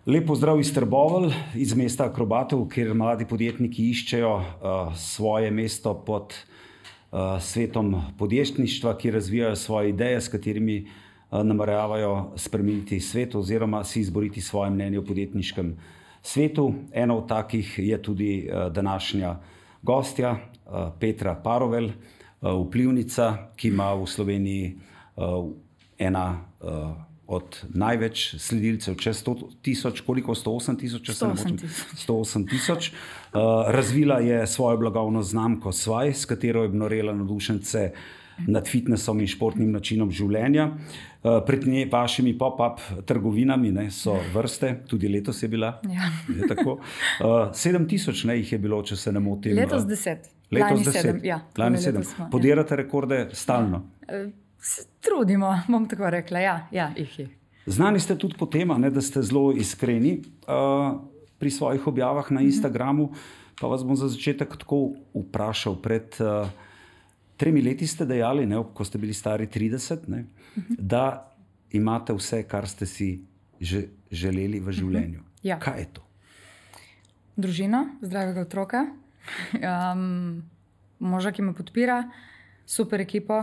Lep pozdrav iz Trbovelj, iz mesta akrobatov, kjer mladi podjetniki iščejo svoje mesto pod svetom podjetništva, ki razvijajo svoje ideje, s katerimi nameravajo spremeniti svet oziroma si izboriti svoje mnenje o podjetniškem svetu. Ena od takih je tudi današnja gostja, Petra Parovelj, vplivnica, ki ima v Sloveniji ena od največ sledilcev, čez 100.000, koliko? 108.000? 108.000. Razvila je svojo blagovno znamko Svaj, s katero je obnorela navdušence nad fitnessom in športnim načinom življenja. Pred vašimi pop-up trgovinami so vrste, tudi letos je bila. Ja. Je tako. 7.000 jih je bilo, če se ne motim. Letos 10. Letos 10. Ja, Lani 7. Podirate rekorde stalno. Se trudimo, bom tako rekla. Ja, jih je. Znani ste tudi po tem, da ste zelo iskreni pri svojih objavah na Instagramu. Pa vas bom za začetek tako vprašal. Pred 3 leti ste dejali, ko ste bili stari 30, da imate vse, kar ste si želeli v življenju. Ja. Kaj je to? Družina, zdravega otroka, moža, ki me podpira, super ekipo,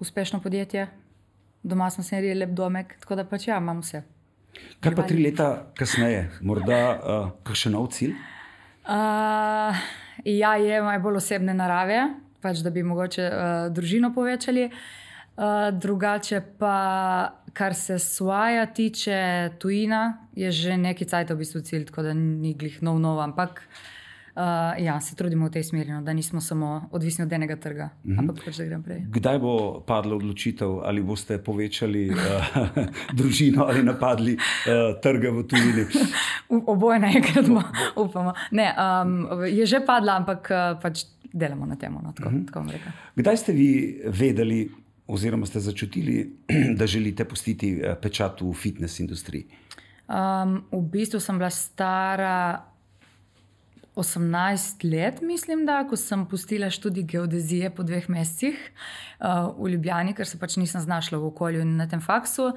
uspešno podjetje, doma smo si naredili lep domek, tako da pač imam vse. Kaj pa 3 leta kasneje? Morda kakšen nov cilj? Ja, je bolj osebne narave, pač da bi mogoče družino povečali. Drugače pa, kar se Svaja tiče, tujina, je že neki cajt v bistvu cilj, tako da ni glih nov, ampak ja, se trudimo v tej smeri, da nismo samo odvisni od enega trga, ampak pač da grem prej. Kdaj bo padla odločitev, ali boste povečali družino ali napadli trge v tujini? Oboje naenkrat, upamo. Ne, je že padla, ampak pač delamo na tem, tako bom rekla. Kdaj ste vi vedeli oziroma ste začutili, da želite pustiti pečat v fitness industriji? V bistvu sem bila stara 18 let, mislim, ko sem pustila študij geodezije po 2 mesecih v Ljubljani, ker se pač nisem znašla v okolju in na tem faksu,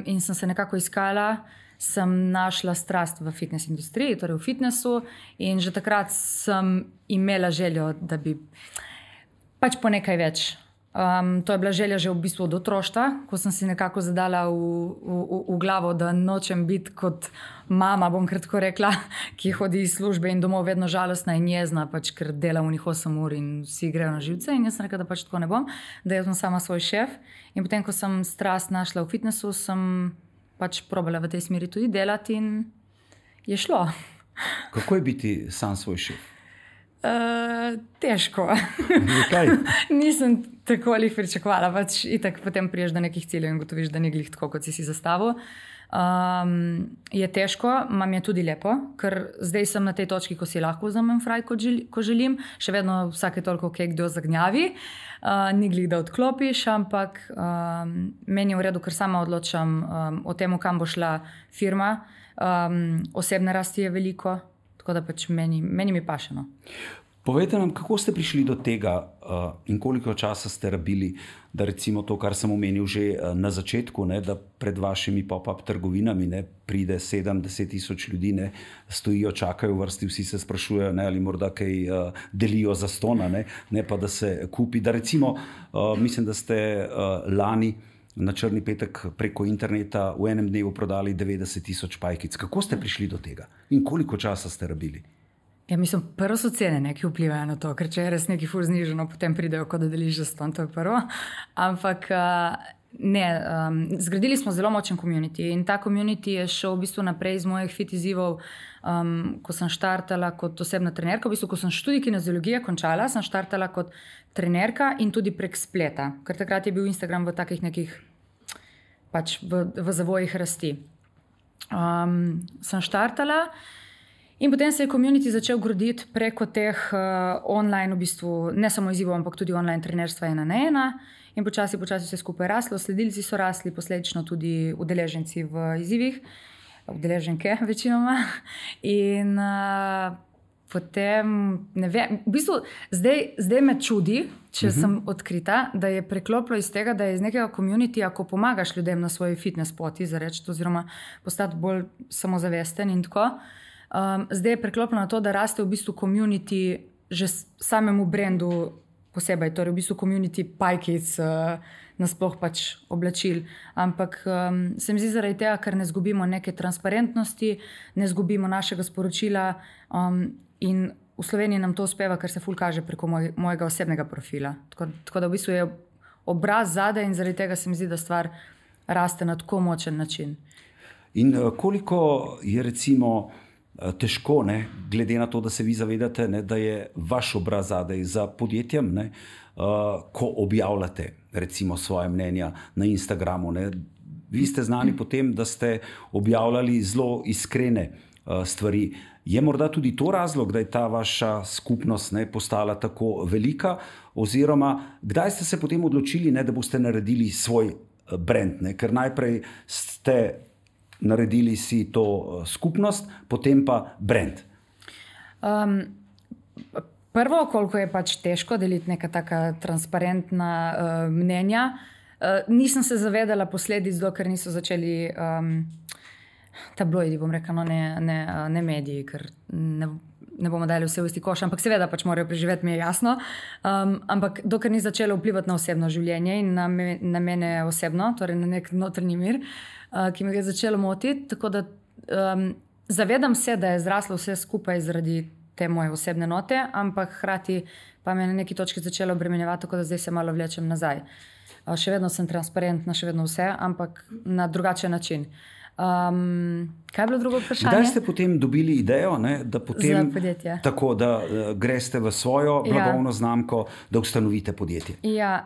in sem se nekako iskala, sem našla strast v fitness industriji, torej v fitnessu, in že takrat sem imela željo, da bi pač po nekaj več. To je bila želja že v bistvu od otroštva, ko sem si nekako zadala v glavo, da nočem biti kot mama, bom kratko rekla, ki hodi iz službe in domov vedno žalostna in jezna, pač, ker dela v njih 8 ur in vsi grejo na živce, in jaz sem rekla, da pač tako ne bom, da jaz sem sama svoj šef. In potem, ko sem strast našla v fitnessu, sem pač probala v tej smeri tudi delati in je šlo. Kako je biti sam svoj šef? Težko. Zakaj? Nisem tako ali pričakovala, pač itak potem priješ do nekih ciljev in gotoviš, da ni glih tako, kot si zastavil. Je težko, mam je tudi lepo, ker zdaj sem na tej točki, ko si lahko vzamem fraj, ko želim. Še vedno vsake toliko kdo zagnjavi, ni glih, da odklopiš, ampak meni je v redu, ker sama odločam o tem, kam bo šla firma. Osebne rasti je veliko, tako da pač meni mi paše. Povejte nam, kako ste prišli do tega in koliko časa ste rabili, da recimo to, kar sem omenil že na začetku, da pred vašimi pop-up trgovinami pride 7-10 tisoč ljudi, stojijo, čakajo v vrsti, vsi se sprašujejo, ali morda kaj delijo za stona, ne pa da se kupi. Da recimo, mislim, da ste lani na Črni petek preko interneta v enem dnevu prodali 90 tisoč pajkic. Kako ste prišli do tega in koliko časa ste rabili? Ja, mislim, prvo so cene, ki vplivajo na to, ker če je res nekaj ful znižano, potem pridejo, kot da deliš za ston, to je prvo. Ampak ne, zgradili smo zelo močen community in ta community je šel v bistvu naprej iz mojih fit izzivov, ko sem štartala kot osebna trenerka. V bistvu, ko sem študij kineziologije končala, sem štartala kot trenerka in tudi prek spleta, ker takrat je bil Instagram v takih nekih pač v zavojih rasti. Sem štartala in potem se je community začel graditi preko teh online, v bistvu ne samo izzivov, ampak tudi online trenerstva 1-1, in počasi vse skupaj raslo, sledilci so rasli, posledično tudi udeleženci v izzivih, udeleženke večinoma, in Potem, ne vem, v bistvu zdaj me čudi, če sem odkrita, da je preklopilo iz tega, da je iz nekega komunitija, ko pomagaš ljudem na svoji fitness poti, oziroma postati bolj samozavesten in tako. Zdaj je preklopilo na to, da raste v bistvu komuniti že samemu brendu posebej, torej v bistvu komuniti pajkic, nasploh pač oblačil. Ampak se mi zdi zaradi tega, ker ne zgubimo neke transparentnosti, ne zgubimo našega sporočila in v Sloveniji nam to uspeva, ker se ful kaže preko mojega osebnega profila. Tako da v bistvu je obraz zadaj in zaradi tega se mi zdi, da stvar raste na tako močen način. In koliko je recimo težko, ne, glede na to, da se vi zavedate, ne, da je vaš obraz zadaj za podjetjem, ne, ko objavljate recimo svoje mnenja na Instagramu. Ne. Vi ste znani po tem, da ste objavljali zelo iskrene stvari. Je morda tudi to razlog, da je ta vaša skupnost, ne, postala tako velika, oziroma kdaj ste se potem odločili, ne, da boste naredili svoj brand, ne, ker najprej ste naredili si to skupnost, potem pa brand? Prvo, koliko je pač težko deliti neka taka transparentna mnenja, nisem se zavedala posledic, dokler niso začeli tabloidi, bom rekla, no, ne mediji, ker ne bomo dali vse v isti koš, ampak seveda pač morajo preživeti, mi je jasno. Ampak dokler ni začelo vplivati na osebno življenje in na mene osebno, torej na nek notranji mir, ki me je začelo motiti. Tako da zavedam se, da je zraslo vse skupaj zaradi te moje osebne note, ampak hkrati pa me na neki točki začelo obremenjevati, tako da zdaj se malo vlečem nazaj. Še vedno sem transparentna, še vedno vse, ampak na drugačen način. Kaj je bilo drugo vprašanje? Kdaj ste potem dobili idejo, ne, da potem tako, da greste v svojo blagovno znamko, da ustanovite podjetje? Ja,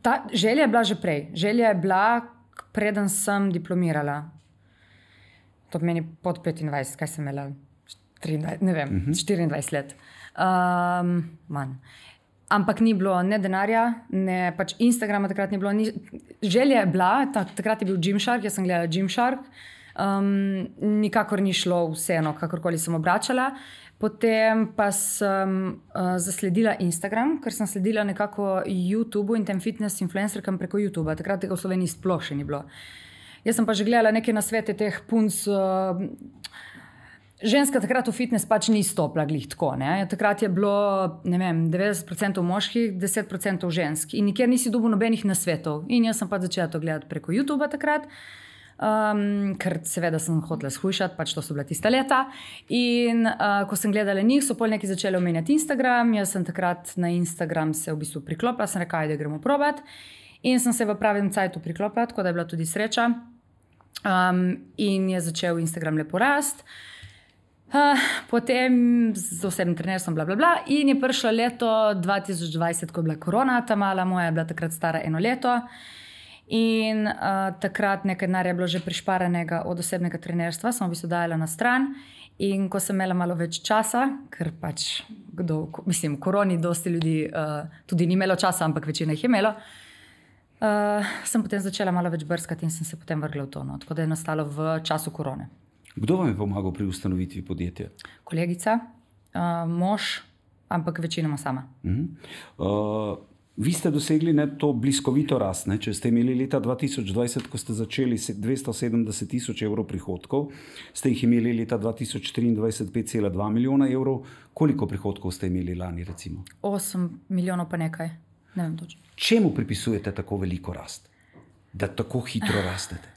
ta želja je bila že prej. Želja je bila, preden sem diplomirala. To pomeni pod 25, kaj sem imela? 23, ne vem, 24 let. Manj. Ampak ni bilo ne denarja, ne pač Instagrama takrat ni bilo. Želja je bila, takrat je bil Gymshark, jaz sem gledala Gymshark. Nikakor ni šlo vseeno, kakorkoli sem obračala. Potem pa sem zasledila Instagram, ker sem sledila nekako YouTubeu in tem fitness influencerkam preko YouTubea. Takrat tega v Sloveniji sploh še ni bilo. Jaz sem pa že gledala neke nasvete teh punc. Ženska takrat v fitness pač ni stopila glih tako. Ne? Takrat je bilo, ne vem, 90% moških, 10% žensk. In nikjer nisi dobil nobenih nasvetov. In jaz sem pač začela to gledati preko YouTubea takrat. Ker seveda sem hotela shujšati, pač to so bila tista leta. In ko sem gledala njih, so pol neki začeli omenjati Instagram. Jaz sem takrat na Instagram se v bistvu priklopila, sem rekla, da gremo probat. In sem se v pravem cajtu priklopila, tako da je bila tudi sreča. In je začel Instagram lepo rast. Potem z osebnim trenerstvom in je prišlo leto 2020, ko je bila korona, ta mala moja je bila takrat stara 1 leto in takrat nekaj denarja je bilo že prišparanega od osebnega trenerstva, sem v bistvu dajala na stran in ko sem imela malo več časa, ker pač v koroni dosti ljudi tudi ni imelo časa, ampak večina jih je imelo, sem potem začela malo več brskati in sem se potem vrgla v to, no, tako da je nastalo v času korone. Kdo vam je pomagal pri ustanovitvi podjetja? Kolegica, mož, ampak večinoma sama. Vi ste dosegli to bliskovito rast. Ne? Če ste imeli leta 2020, ko ste začeli 270.000 evrov prihodkov, ste jih imeli leta 2023 5,2 milijona evrov. Koliko prihodkov ste imeli lani, recimo? 8 milijonov pa nekaj. Ne vem točno. Čemu pripisujete tako veliko rast? Da tako hitro rastete?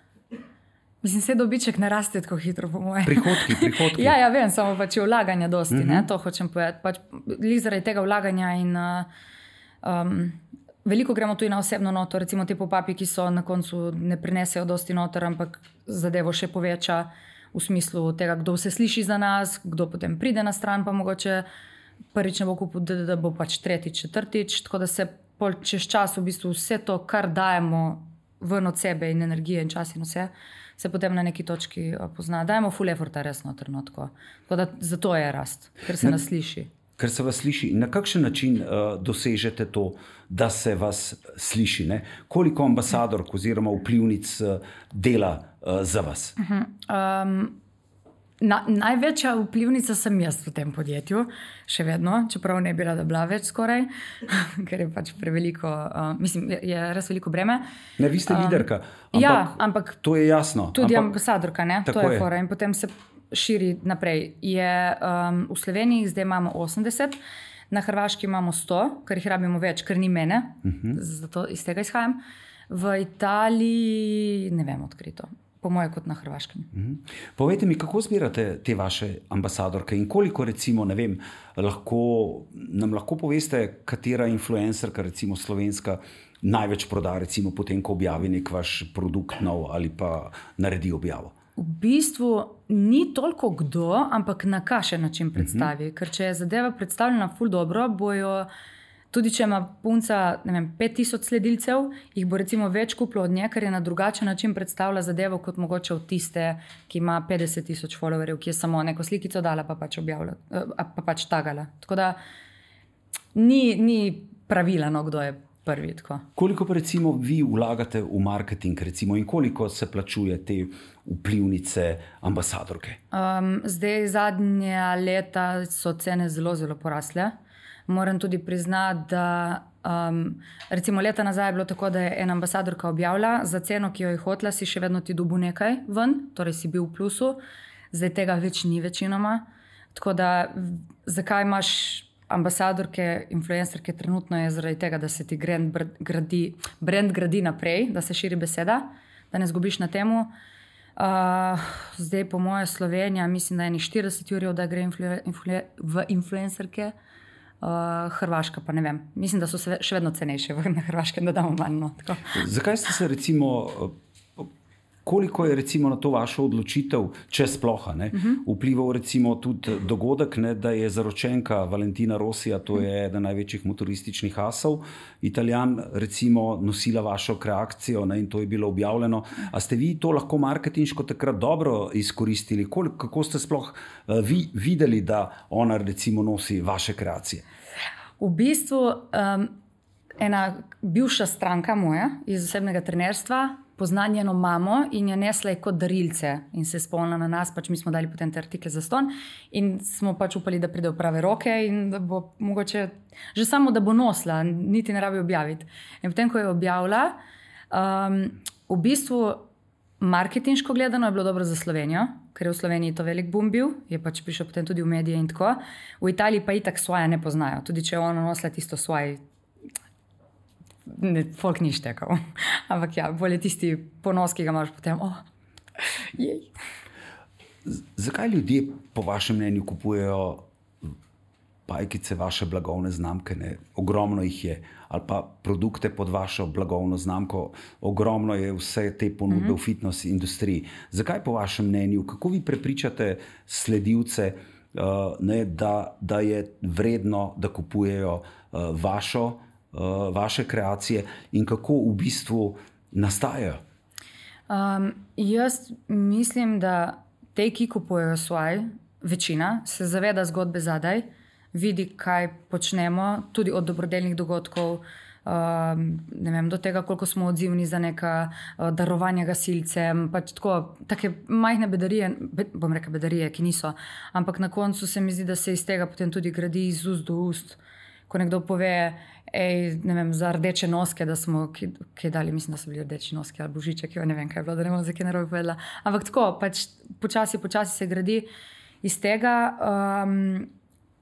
Mislim, se dobiček ne raste tako hitro, po mojem. Prihodki. Ja, vem, samo pač je vlaganja dosti, ne, to hočem povedati. Pač zaradi tega vlaganja in veliko gremo tudi na osebno noto, recimo te pop-upi, ki so na koncu ne prinesejo dosti noter, ampak zadevo še poveča v smislu tega, kdo se sliši za nas, kdo potem pride na stran, pa mogoče prvič ne bo kupil, da bo pač tretjič, četrtič, tako da se čez čas v bistvu vse to, kar dajemo ven od sebe in energije in čas in vse, se potem na neki točki pozna. Dajmo full efforta resno trenutko. Tako da zato je rast, ker se nas sliši. Ker se vas sliši. Na kakšen način dosežete to, da se vas sliši? Ne? Koliko ambasadork oziroma vplivnic dela za vas? Največja vplivnica sem jaz v tem podjetju, še vedno, čeprav ne bi rada bila več skoraj, ker je pač preveliko, mislim, je res veliko breme. Ne, vi ste liderka, ampak to je jasno. Tudi ambasadorka, ne? To je fora in potem se širi naprej. V Sloveniji zdaj imamo 80, na Hrvaški imamo 100, ker jih rabimo več, ker ni mene, zato iz tega izhajam. V Italiji ne vem odkrito. Po moje kot na Hrvaškem. Povejte mi, kako zbirate te vaše ambasadorke in koliko, recimo, ne vem, nam lahko poveste, katera influencerka, recimo slovenska, največ proda, recimo potem, ko objavi nek vaš produkt nov ali pa naredi objavo? V bistvu ni toliko kdo, ampak na kakšen način predstavi. Ker če je zadeva predstavljena ful dobro, bojo tudi če ima punca, ne vem, 5000 sledilcev, jih bo recimo več kupilo od nje, ker je na drugačen način predstavlja zadevo kot mogoče od tiste, ki ima 50,000 followerjev, ki je samo neko slikico dala, pa pač objavila, pa pač tagala. Tako da ni pravila, no, kdo je prvi. Tako. Koliko pa recimo vi vlagate v marketing, recimo, in koliko se plačuje te vplivnice, ambasadorke? Zdaj zadnja leta so cene zelo, zelo porasle. Moram tudi priznati, da recimo leta nazaj je bilo tako, da je ena ambasadorka objavila za ceno, ki jo je hotela, si še vedno ti dobil nekaj ven, torej si bil v plusu, zdaj tega več ni večinoma. Tako da zakaj imaš ambasadorke, influencerke trenutno je zaradi tega, da se ti brand gradi naprej, da se širi beseda, da ne zgubiš na temu. Zdaj po moje Slovenija, mislim, da je 40 jurjev, da gre v influencerke. Hrvaška pa ne vem. Mislim, da so še vedno cenejše na Hrvaškem, da damo manj. No, zakaj ste se recimo, koliko je recimo na to vašo odločitev, če sploh, vplival recimo tudi dogodek, da je zaročenka Valentina Rossija, to je eden največjih motorističnih asov, Italijan, recimo nosila vašo kreacijo, in to je bilo objavljeno. A ste vi to lahko marketinško takrat dobro izkoristili? Kako ste sploh vi videli, da ona recimo nosi vaše kreacije? V bistvu ena bivša stranka moja iz osebnega trenerstva pozna njeno mamo in jo nesla je kot darilce in se spomnila na nas, pač mi smo dali potem te artikle za ston in smo pač upali, da pride v prave roke in da bo mogoče, že samo da bo nosila, niti ne rabi objaviti. In potem, ko je objavila, v bistvu marketinško gledano je bilo dobro za Slovenijo, ker je v Sloveniji to velik boom bil, je pač prišel potem tudi v medije in tako. V Italiji pa itak svoje ne poznajo, tudi če je ona nosila tisto svoje, folk ni štekal. Ampak ja, bolje tisti ponos, ki ga imaš potem. Jej. Zakaj ljudje po vašem mnenju kupujejo pajkice, vaše blagovne znamke? Ne? Ogromno jih je. Ali pa produkte pod vašo blagovno znamko. Ogromno je vse te ponudbe v fitness industriji. Zakaj po vašem mnenju? Kako vi prepričate sledilce, da je vredno, da kupujejo vaše kreacije in kako v bistvu nastajajo? Jaz mislim, da te, ki kupujejo svoje, večina se zaveda zgodbe zadaj, vidi, kaj počnemo, tudi od dobrodelnih dogodkov, ne vem, do tega, koliko smo odzivni za neka darovanja gasilcem, pač take majhne bedarije, bom rekel bedarije, ki niso, ampak na koncu se mi zdi, da se iz tega potem tudi gradi iz ust do ust. Ko nekdo pove, ne vem, za rdeče noske, da smo kaj dali, mislim, da so bili rdeči noski ali božiček, ne vem, kaj je bilo, da ne bom za kaj narobe povedala. Ampak tako, pač počasi se gradi iz tega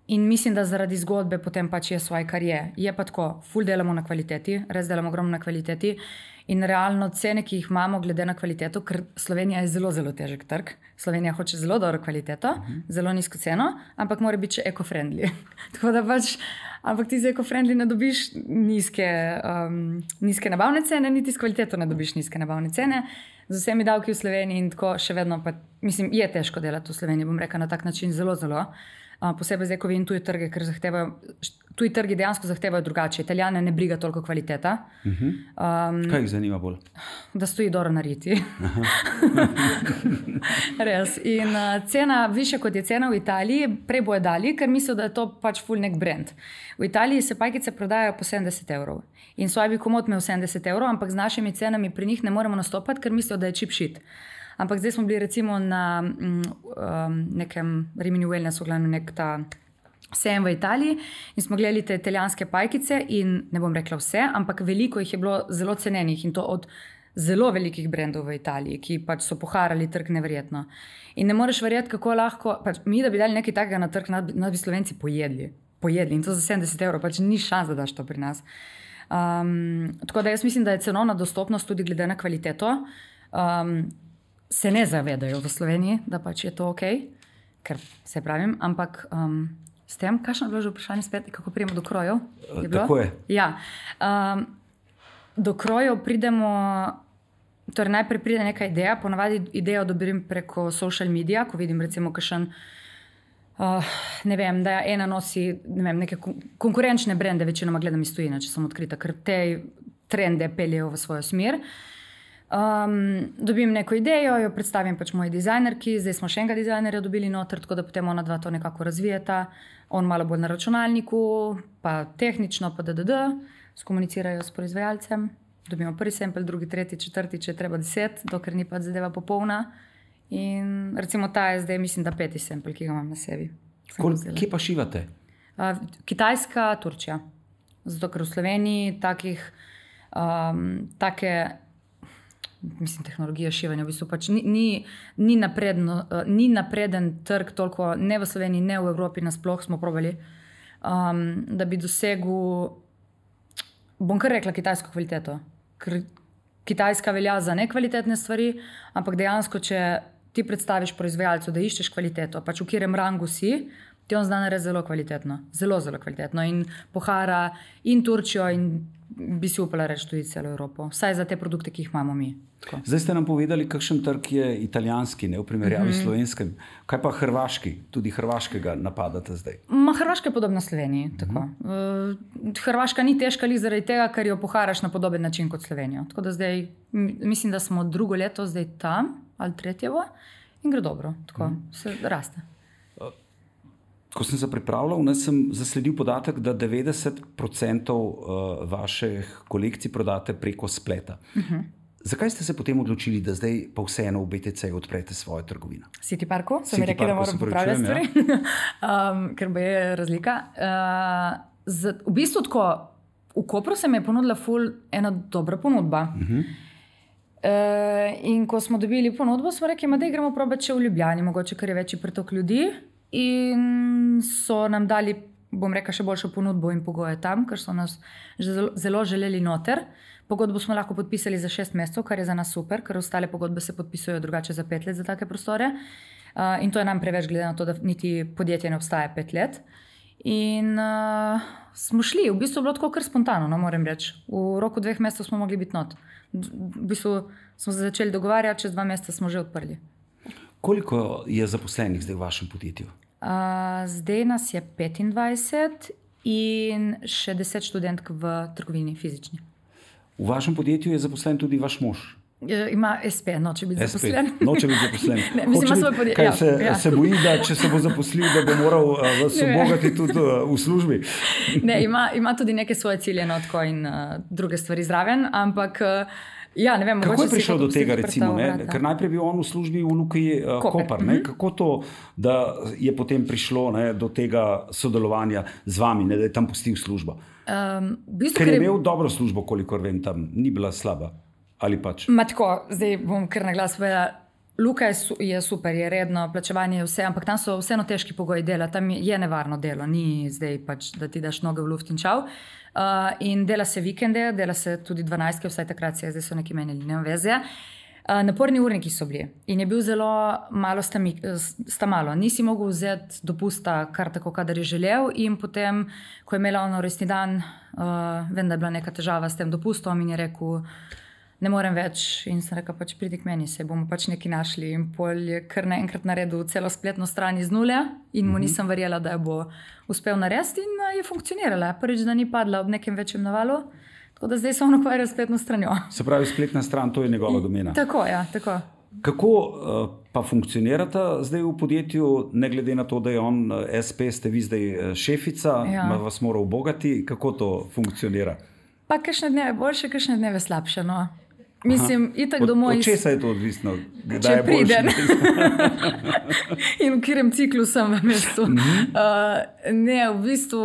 in mislim, da zaradi zgodbe potem pač je svoj, kar je. Je pa tako, ful delamo na kvaliteti, res delamo ogromno na kvaliteti in realno cene, ki jih imamo glede na kvaliteto, ker Slovenija je zelo, zelo težek trg. Slovenija hoče zelo dobro kvaliteto, zelo nizko ceno, ampak mora biti še eco-friendly. Tako da pač, ampak ti za eco-friendly ne dobiš nizke nabavne cene, niti s kvaliteto ne dobiš nizke nabavne cene. Z vsemi davki v Sloveniji in tako še vedno pa, mislim, je težko delati v Sloveniji, bom rekla na tak način zelo, zelo. Posebej zdaj, ko vidim tuji trge, ker tuji trgi dejansko zahtevajo drugače. Italijane ne briga toliko kvaliteta. Kaj jih zanima bolj? Da stoji dobro nariti. Res. In cena, više kot je cena v Italiji, prej bojo dali, ker mislijo, da je to pač ful nek brand. V Italiji se pajkice prodajajo po 70 evrov. In svoj bi komot imel 70 evrov, ampak z našimi cenami pri njih ne moremo nastopati, ker mislijo, da je cheap shit. ampak zdaj smo bili recimo na nekem Rimini Wellnessu, glavno nek ta sejem v Italiji in smo gledali te italijanske pajkice in ne bom rekla vse, ampak veliko jih je bilo zelo cenenih in to od zelo velikih brendov v Italiji, ki pač so poharali trg neverjetno. In ne moreš verjeti, kako lahko, pač mi, da bi dali nekaj takega na trg, nas bi Slovenci pojedli in to za 70 €, pač ni šans, da daš to pri nas. Tako da jaz mislim, da je cenovna dostopnost tudi glede na kvaliteto, se ne zavedajo v Sloveniji, da pač je to ok, ker se pravim, ampak s tem, kakšno je bilo že vprašanje spet, kako pridemo do krojev? Tako je. Ja. Do krojev pridemo, torej najprej pride neka ideja, ponavadi idejo dobim preko social media, ko vidim recimo kakšen, ne vem, da ena nosi neke konkurenčne brende, večinoma gledam iz tujine, če sem odkrita, ker te trende peljejo v svojo smer. Dobim neko idejo, jo predstavim pač moji dizajnerki, zdaj smo še enega dizajnerja dobili noter, tako da potem ona dva to nekako razvijeta, on malo bolj na računalniku, pa tehnično, pa skomunicirajo s proizvajalcem, dobimo prvi sample, drugi, tretji, četrti, če je treba 10, dokler ni pač zadeva popolna. In recimo ta je zdaj, mislim, da 5. sample, ki ga imam na sebi. Kje pa šivate? Kitajska, Turčija. Zato, ker v Sloveniji tehnologija šivanja v bistvu pač ni napreden trg toliko, ne v Sloveniji, ne v Evropi, nasploh smo probali, da bi dosegel, bom kar rekla, kitajsko kvaliteto. Ker Kitajska velja za nekvalitetne stvari, ampak dejansko, če ti predstaviš proizvajalcu, da iščeš kvaliteto, pač v katerem rangu si, ti on zna narediti zelo kvalitetno. Zelo, zelo kvalitetno. In pohara in Turčijo in bi si upala reči tudi celo Evropo. Vsaj za te produkte, ki jih imamo mi. Tako. Zdaj ste nam povedali, kakšen trg je italijanski, ne v primerjavi s slovenskim. Kaj pa hrvaški? Tudi hrvaškega napadate zdaj? Hrvaška je podobna Sloveniji. Tako. Hrvaška ni težka li zaradi tega, ker jo poharaš na podoben način kot Slovenijo. Tako da zdaj, mislim, da smo drugo leto zdaj tam, ali tretjevo, in gre dobro. Tako se raste. Ko sem se pripravljal, sem zasledil podatek, da 90% vaših kolekcij prodate preko spleta. Zakaj ste se potem odločili, da zdaj pa vseeno v BTC odprete svojo trgovino? City Parku, so mi rekli, da moram popravljati stvari, ker bo je razlika. V bistvu tako, v Kopru se mi je ponudila ena dobra ponudba. In ko smo dobili ponudbo, smo rekli, da gremo probati še v Ljubljani, mogoče, ker je večji pretok ljudi. In so nam dali, bom rekla, še boljšo ponudbo in pogoje tam, ker so nas zelo želeli noter. Pogodbo smo lahko podpisali za 6 mesecev, kar je za nas super, ker ostale pogodbe se podpisujejo drugače za 5 let za take prostore. In to je nam preveč, glede na to, da niti podjetje ne obstaja 5 let. In smo šli, v bistvu je bilo tako kar spontano, no, moram reči. V roku 2 mesecev smo mogli biti not. V bistvu smo se začeli dogovarjati, čez 2 meseca smo že odprli. Koliko je zaposlenih zdaj v vašem podjetju? Zdaj nas je 25 in še 10 študentk v trgovini fizični. V vašem podjetju je zaposlen tudi vaš mož? Ima SP, noče biti zaposlen. Noče biti zaposlen. Ne, mislim, ima svoj podjetje. Se boji, da če se bo zaposlil, da bo moral vas obogati tudi v službi? Ne, ima tudi neke svoje cilje notko in druge stvari zraven, ampak ja, ne vem, kako je prišel do tega, recimo, ker najprej bil on v službi v Luki Koper. Kako to, da je potem prišlo do tega sodelovanja z vami, da je tam pustil službo? Ker je imel dobro službo, kolikor vem, tam ni bila slaba. Ali pač? Tako, zdaj bom kar na glas povedala. Luka je super, je redno, plačevanje je vse, ampak tam so vseeno težki pogoji dela, tam je nevarno delo, ni zdaj pač, da ti daš noge v luft in čau. In dela se vikende, dela se tudi 12, vsaj takrat se je, zdaj so neki menili, nema veze. Naporni urniki so bili in je bil zelo malo malo. Nisi mogel vzeti dopusta kar tako, kadar je želel, in potem, ko je imela ono resni dan, vem, da je bila neka težava s tem dopustom in je rekel, ne morem več, in sem rekel, pač pridi k meni, se bomo pač nekaj našli. In pol je kar naenkrat naredil celo spletno stran iz nule in mu nisem verjela, da jo bo uspel narediti, in je funkcionirala. Prvič, da ni padla ob nekem večjem navalu, tako da zdaj se on ukvarja s spletno stranjo. Se pravi, spletna stran, to je njegova domena. Tako, ja, tako. Kako pa funkcionirata zdaj v podjetju, ne glede na to, da je on SP, ste vi zdaj šefica, vas mora ubogati, kako to funkcionira? Pa kakšne dneve boljše, kakšne dneve slabše, no. Mislim, itak domov. Od česa je to odvisno? Če pridem. In v katerem ciklu sem v mestu. Ne, v bistvu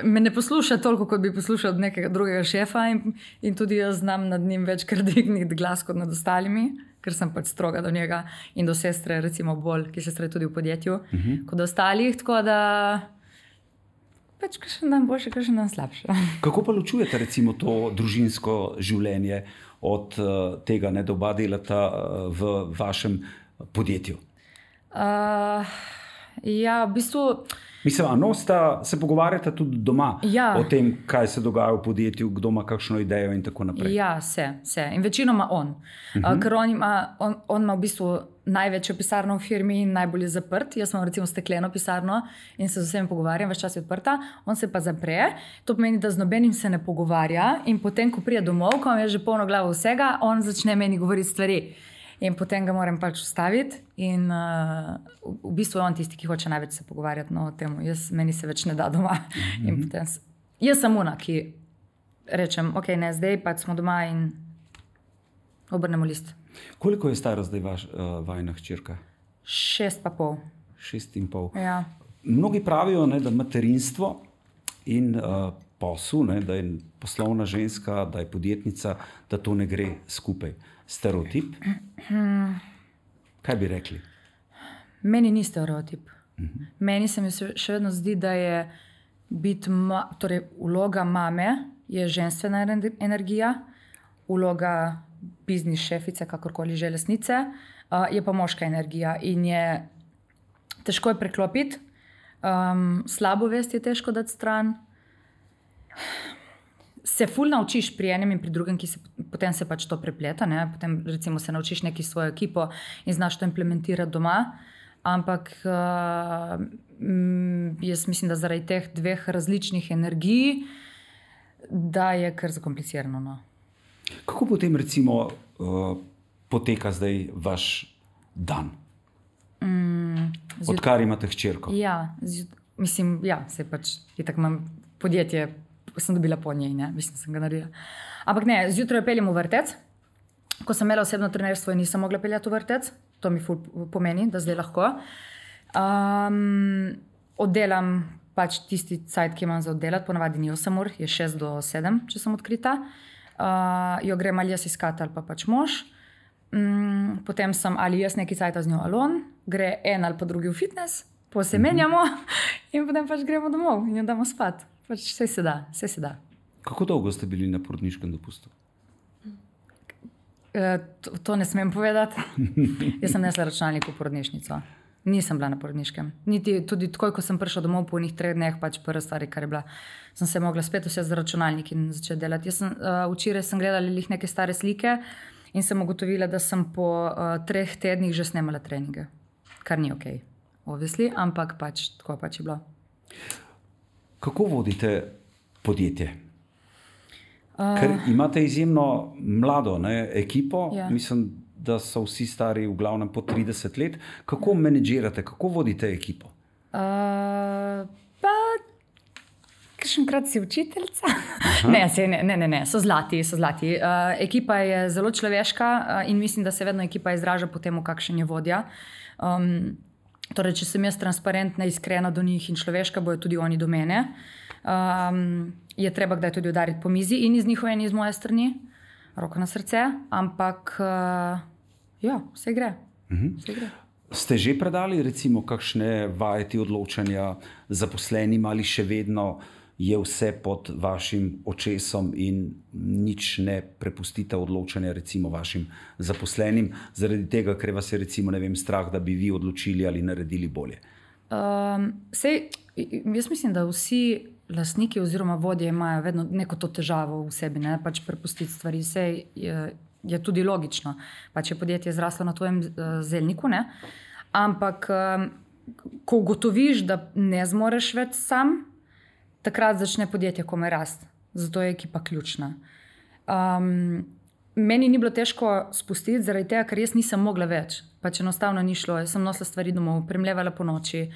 me ne posluša toliko, kot bi poslušal od nekega drugega šefa in tudi jaz znam nad njim večkrat dvigniti glas kot nad ostalimi, ker sem pač stroga do njega in do sestre, recimo bolj, ki sestre tudi v podjetju, kot do ostalih, tako da pač kakšen dan boljše, kakšen dan slabše. Kako pa ločujete recimo to družinsko življenje od tega, da oba delata v vašem podjetju? Ja, v bistvu... Mislim, se pogovarjate tudi doma o tem, kaj se dogaja v podjetju, kdo ima kakšno idejo in tako naprej? Ja, se. In večinoma on. Ker on ima v bistvu največjo pisarno v firmi in najbolj je zaprt. Jaz imam recimo stekleno pisarno in se z vsemi pogovarjam, več čas je odprta, on se pa zapre. To pomeni, da z nobenim se ne pogovarja in potem, ko pride domov, ko je že polno glavo vsega, on začne meni govoriti stvari. In potem ga moram pač ustaviti in v bistvu je on tisti, ki hoče največ se pogovarjati o tem. Meni se več ne da doma. In potem jaz sem ona, ki rečem, ok, ne, zdaj pač smo doma in obrnemo list. Koliko je stara zdaj vajina hčerka? 6,5. 6,5. Ja. Mnogi pravijo, da materinstvo in posel, da je poslovna ženska, da je podjetnica, da to ne gre skupaj. Stereotip? Kaj bi rekli? Meni ni stereotip. Meni se mi še vedno zdi, da je torej vloga mame je ženstvena energija, vloga biznis šefice, kakorkoli že lastnice, je pa moška energija in je težko je preklopiti, slabo vest je težko dati stran. Se ful naučiš pri enem in pri drugem, potem se pač to prepleta. Ne? Potem recimo se naučiš neki svojo ekipo in znaš to implementirati doma. Ampak jaz mislim, da zaradi teh dveh različnih energij, da je kar zakomplicirano. No. Kako potem recimo poteka zdaj vaš dan? Odkar imate hčerko? Ja, mislim, se pač je tako imam podjetje, sem dobila po njej, ne, mislim, sem ga naredila. Ampak ne, zjutraj peljem v vrtec. Ko sem imela osebno trenerstvo in nisem mogla peljati v vrtec, to mi ful pomeni, da zdaj lahko. Oddelam pač tisti cajt, ki imam za oddelati, ponavadi ni 8 ur, je 6 do 7, če sem odkrita. Jo grem ali jaz iskati ali pa pač mož. Potem sem ali jaz neki cajta z njo ali on, gre en ali pa drugi v fitness, pa se menjamo in potem pač gremo domov in jo damo spat. Pač vse se da. Kako dolgo ste bili na porodniškem dopustu? To ne smem povedati. Jaz sem nesla računalnik v porodnišnico. Nisem bila na porodniškem. Niti tudi takoj, ko sem prišla domov po unih 3 dneh, pač prva stvar, kar je bila, sem se mogla spet vse za računalnik in začeti delati. Včeraj sem gledala neke stare slike in sem ugotovila, da sem po 3 tednih že snemala treninge. Kar ni ok, obvisli, ampak pač tako pač je bilo. Kako vodite podjetje? Ker imate izjemno mlado ekipo, mislim, da so vsi stari v glavnem po 30 let. Kako menedžirate, kako vodite ekipo? Pa, kakšenkrat si učiteljica? Ne, so zlati. Ekipa je zelo človeška in mislim, da se vedno ekipa izraža po tem, kakšen je vodja. Torej, če sem jaz transparentna, iskrena do njih in človeška, bojo tudi oni do mene. Je treba kdaj tudi udariti po mizi in iz njihove in iz moje strani, roko na srce, ampak vse gre. Ste že predali recimo kakšne vajeti odločanja zaposlenim ali še vedno je vse pod vašim očesom in nič ne prepustite odločanja recimo vašim zaposlenim, zaradi tega, ker vas je recimo, ne vem, strah, da bi vi odločili ali naredili bolje? Jaz mislim, da vsi lastniki oziroma vodje imajo vedno neko to težavo v sebi, ne? Pač prepustiti stvari. Je tudi logično. Pač je podjetje zraslo na tvojem zelniku, ne? Ampak ko ugotoviš, da ne zmoreš več sam, takrat začne podjetje komaj rasti. Zato je ekipa ključna. Meni ni bilo težko spustiti, zaradi tega, ker jaz nisem mogla več. Pač enostavno ni šlo. Jaz sem nosila stvari domov, premlevala po noči,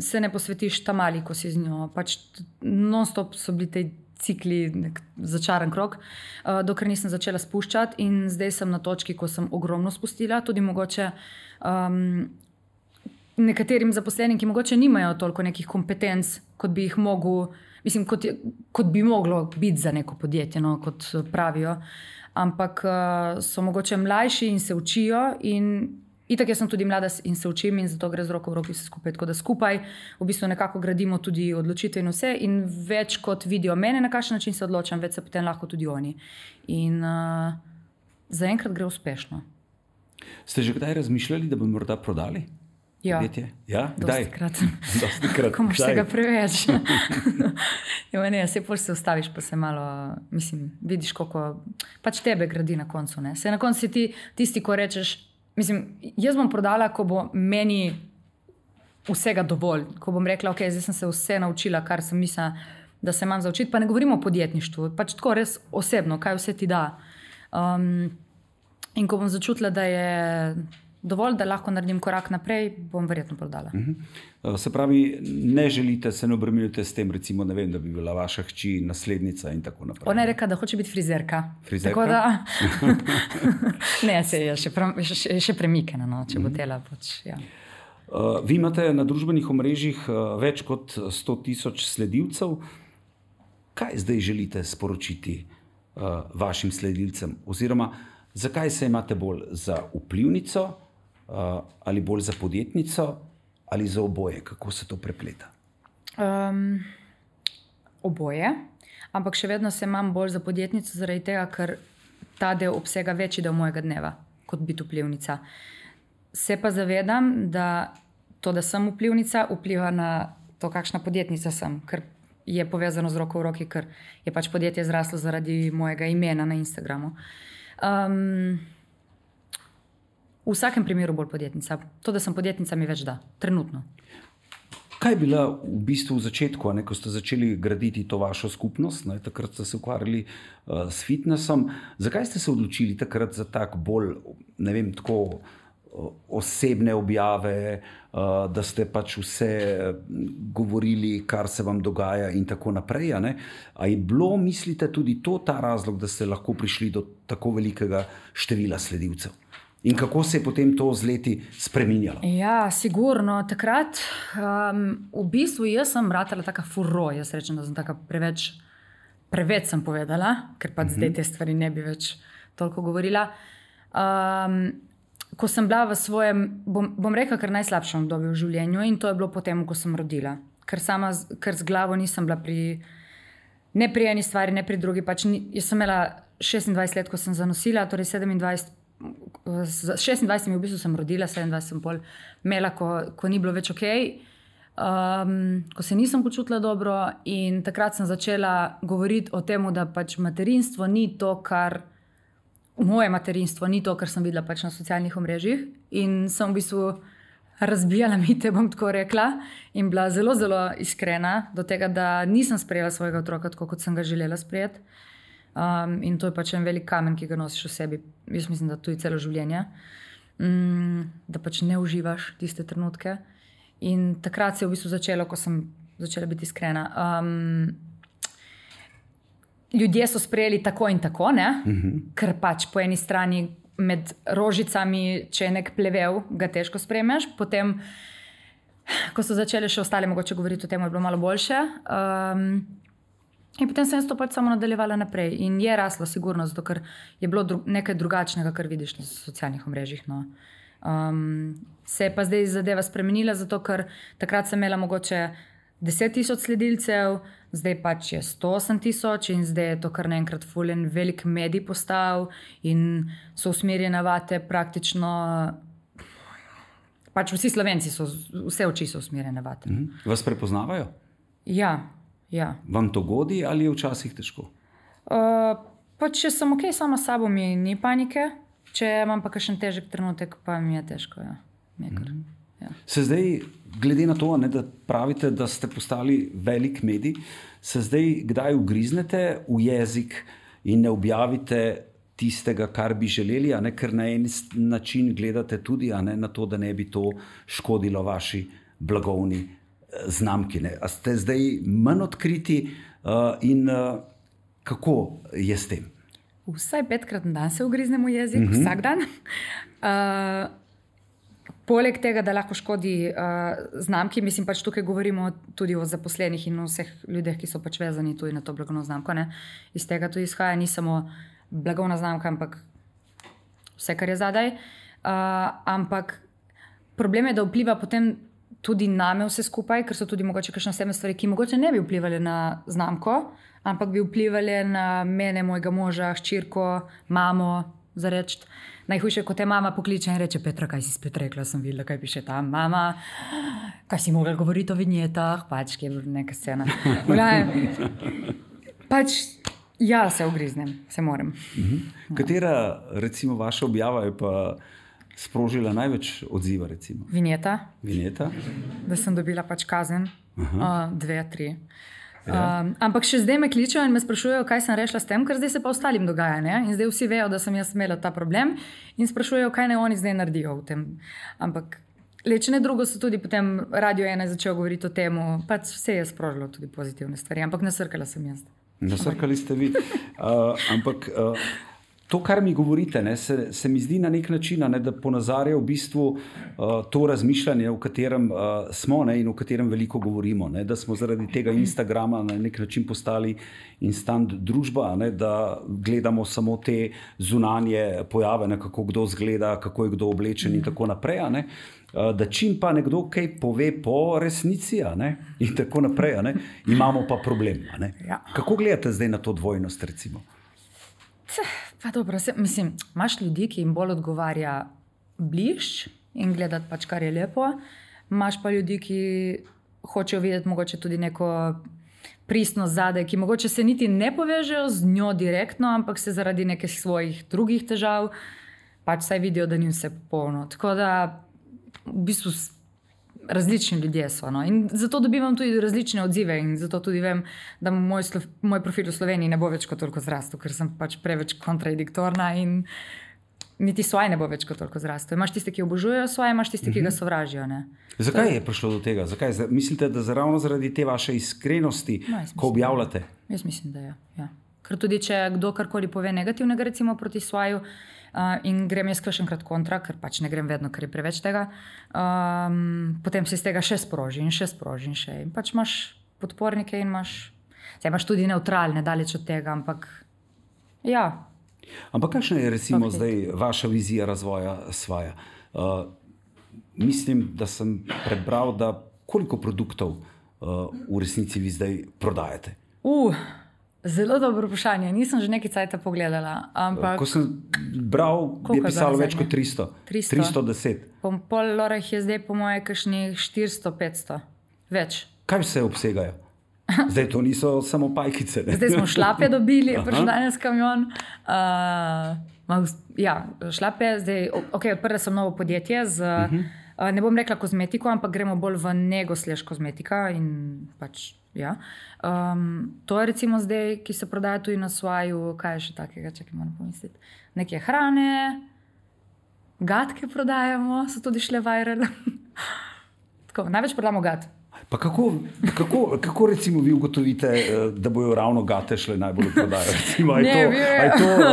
se ne posvetiš tam ali, ko si z njo. Pač non-stop so bili te cikli, nek začaran krog, dokler nisem začela spuščati in zdaj sem na točki, ko sem ogromno spustila, tudi mogoče nekaterim zaposlenim, ki mogoče nimajo toliko nekih kompetenc, kot bi jih mogel, mislim, kot bi moglo biti za neko podjetje, no, kot pravijo, ampak so mogoče mlajši in se učijo in itak jaz sem tudi mlada in se učim in zato gre z roko v roki vse skupaj, tako da skupaj v bistvu nekako gradimo tudi odločitve in vse in več kot vidijo mene, na kakšen način se odločam, več se potem lahko tudi oni. In zaenkrat gre uspešno. Ste že kdaj razmišljali, da bi morda prodali? Ja, kdaj? Dostikrat. Ko imaš tega preveč. Se ustaviš, pa se malo, mislim, vidiš, koliko pač tebe gradi na koncu. Ne? Se na koncu si ti tisti, ko rečeš, mislim, jaz bom prodala, ko bo meni vsega dovolj. Ko bom rekla, ok, zdaj sem se vse naučila, kar sem mislila, da se imam zaučiti. Pa ne govorimo o podjetništvu, pač tako res osebno, kaj vse ti da. In ko bom začutila, da je dovolj, da lahko naredim korak naprej, bom verjetno prodala. Se pravi, ne želite, se ne obremenjujete s tem, recimo, ne vem, da bi bila vaša hči naslednica in tako naprej. Ona je rekla, da hoče biti frizerka. Frizerka? Tako da, ne, se je še premikena, no, če bo tela. Ja. Vi imate na družbenih omrežjih več kot 100,000 sledilcev. Kaj zdaj želite sporočiti vašim sledilcem? Oziroma, zakaj se imate bolj za vplivnico ali bolj za podjetnico ali za oboje? Kako se to prepleta? Oboje, ampak še vedno se imam bolj za podjetnico zaradi tega, ker ta del obsega večji del mojega dneva kot biti vplivnica. Se pa zavedam, da to, da sem vplivnica, vpliva na to, kakšna podjetnica sem, ker je povezano z roko v roki, ker je pač podjetje zraslo zaradi mojega imena na Instagramu. V vsakem primeru bolj podjetnica. To, da sem podjetnica, mi več da. Trenutno. Kaj je bila v bistvu v začetku, ko ste začeli graditi to vašo skupnost, takrat ste se ukvarjali s fitnessom. Zakaj ste se odločili takrat za tak bolj, ne vem, tako osebne objave, da ste pač vse govorili, kar se vam dogaja in tako naprej? A je bilo, mislite, tudi to ta razlog, da ste lahko prišli do tako velikega števila sledilcev? In kako se je potem to z leti spreminjalo? Ja, sigurno. Takrat, v bistvu, jaz sem ratala taka furo. Jaz rečem, da sem taka preveč sem povedala, ker pa zdaj te stvari ne bi več toliko govorila. Ko sem bila v svojem, bom rekla, kar najslabšem obdobju v življenju in to je bilo potem, ko sem rodila. Ker z glavo nisem bila ne pri eni stvari, ne pri drugi. Pač jaz sem imela 26 let, ko sem zanosila, torej 26 v bistvu sem rodila, 27 sem pol imela, ko ni bilo več ok, ko se nisem počutila dobro in takrat sem začela govoriti o tem, da pač materinstvo ni to, moje materinstvo ni to, kar sem videla pač na socialnih omrežjih in sem v bistvu razbijala mite, bom tako rekla, in bila zelo, zelo iskrena do tega, da nisem sprejela svojega otroka tako, kot sem ga želela sprejeti. In to je pač en velik kamen, ki ga nosiš v sebi. Jaz mislim, da tudi celo življenje. Da pač ne uživaš tiste trenutke. In takrat se je v bistvu začelo, ko sem začela biti iskrena. Ljudje so sprejeli tako in tako, ne? Ker pač po eni strani med rožicami, če je nek plevel, ga težko sprejmeš. Potem, ko so začeli še ostali mogoče govoriti o tem, je bilo malo boljše. In potem sem to pač samo nadaljevala naprej. In je raslo, sigurno, zato ker je bilo nekaj drugačnega, kar vidiš na socialnih omrežjih. No. Se je pa zdaj zadeva spremenila, zato ker takrat sem imela mogoče 10,000 sledilcev, zdaj pač je 108,000 in zdaj je to kar naenkrat fulen velik medij postal in so usmerjene vate praktično. Pač vsi Slovenci so, vse oči so usmerjene vate. Vas prepoznavajo? Ja. Vam to godi ali je včasih težko? Pa če sem ok sama s sabo, mi ni panike. Če imam pa kakšen težek trenutek, pa mi je težko. Ja. Se zdaj, glede na to, da pravite, da ste postali velik medij, se zdaj kdaj ugriznete v jezik in ne objavite tistega, kar bi želeli, ker na en način gledate tudi na to, da ne bi to škodilo vaši blagovni znamki. A ste zdaj manj odkriti in Kako je s tem? Vsaj 5-krat na dan se ugriznem v jezik, vsak dan. Poleg tega, da lahko škodi znamki, mislim, pač tukaj govorimo tudi o zaposlenih in o vseh ljudeh, ki so pač vezani tudi na to blagovno znamko. Ne? Iz tega tudi izhaja ni samo blagovna znamka, ampak vse, kar je zadaj. Ampak problem je, da vpliva potem tudi name vse skupaj, ker so tudi mogoče kakšne osebne stvari, ki mogoče ne bi vplivali na znamko, ampak bi vplivali na mene, mojega moža, hčerko, mamo, za reči. Najhujše, ko te mama pokliče in reče: Petra, kaj si spet rekla, sem videla, kaj piše tam. Mama, kaj si mogla govoriti o vinjetah, pač, ki je neka scena. Pač, ja, se ugriznem, se moram. Katera, recimo, vaša objava je pa sprožila največ odziva, recimo? Vinjeta. Vinjeta? Da sem dobila pač kazen, 2-3. Ampak še zdaj me kličejo in me sprašujejo, kaj sem rešila s tem, ker zdaj se pa ostalim dogaja. Ne? In zdaj vsi vejo, da sem jaz imela ta problem in sprašujejo, kaj naj oni zdaj naredijo v tem. Ampak lečene drugo so tudi potem Radio 1 začel govoriti o tem, pač vse je sprožilo tudi pozitivne stvari, ampak nasrkala sem jaz. Nasrkali ste vi. Ampak to, kar mi govorite, ne, se mi zdi na nek način, ne, da ponazarja v bistvu to razmišljanje, v katerem smo, ne, in o katerem veliko govorimo. Ne, da smo zaradi tega Instagrama na nek način postali instant družba, ne, da gledamo samo te zunanje pojave, ne, kako kdo zgleda, kako je kdo oblečen in tako naprej. Ne. Da čim pa nekdo kaj pove po resnici, ne, in tako naprej, ne, imamo pa problem. Ne. Ja. Kako gledate zdaj na to dvojnost, recimo? Pa dobro, mislim, imaš ljudi, ki jim bolj odgovarja blišč in gledati pač, kar je lepo. Imaš pa ljudi, ki hočejo videti mogoče tudi neko pristnost zadaj, ki mogoče se niti ne povežejo z njo direktno, ampak se zaradi nekih svojih drugih težav pač saj vidijo, da ni vse popolno. Tako da v bistvu različni ljudje so. No? In zato dobivam tudi različne odzive in zato tudi vem, da moj profil v Sloveniji ne bo več kot toliko zrastel, ker sem pač preveč kontradiktorna in niti svoje ne bo več kot toliko zrastel. Imaš tiste, ki obožujejo svoje, imaš tiste, ki ga sovražijo. Ne? Zakaj je prišlo do tega? Zakaj? Mislite, da ravno zaradi te vaše iskrenosti, ko objavljate? Jaz mislim, da je. Ja. Ker tudi, če kdo karkoli pove negativnega, recimo proti svoju, in grem jaz kakšenkrat kontra, ker pač ne grem vedno, ker je preveč tega, potem se iz tega še sproži in še sproži in še. In pač imaš podpornike in imaš tudi neutralne, daleč od tega, ampak ja. Ampak kakšna je recimo zdaj vaša vizija razvoja Svaja? Mislim, da sem prebral, da koliko produktov v resnici vi zdaj prodajate? Zelo dobro vprašanje. Nisem že nekaj cajta pogledala. Ampak ko sem bral, je pisalo več kot 300. 310. Pol lorah je zdaj po moje kakšnih 400-500. Več. Kaj vse obsegajo? Zdaj to niso samo pajkice. Ne? Zdaj smo šlape dobili, prišel danes kamion. Ja, šlape. Zdaj, odprla sem novo podjetje z, ne bom rekla kozmetiko, ampak gremo bolj v nego / kozmetika in pač ja. To je recimo zdaj, ki se prodaja tudi na Svaju. Kaj je še takega, čakaj, moram pomisliti. Neke hrane, gatke prodajamo, so tudi šle viral. Tako, največ prodamo gat. Pa kako recimo vi ugotovite, da bojo ravno gate šle najbolj v prodajo? Recimo,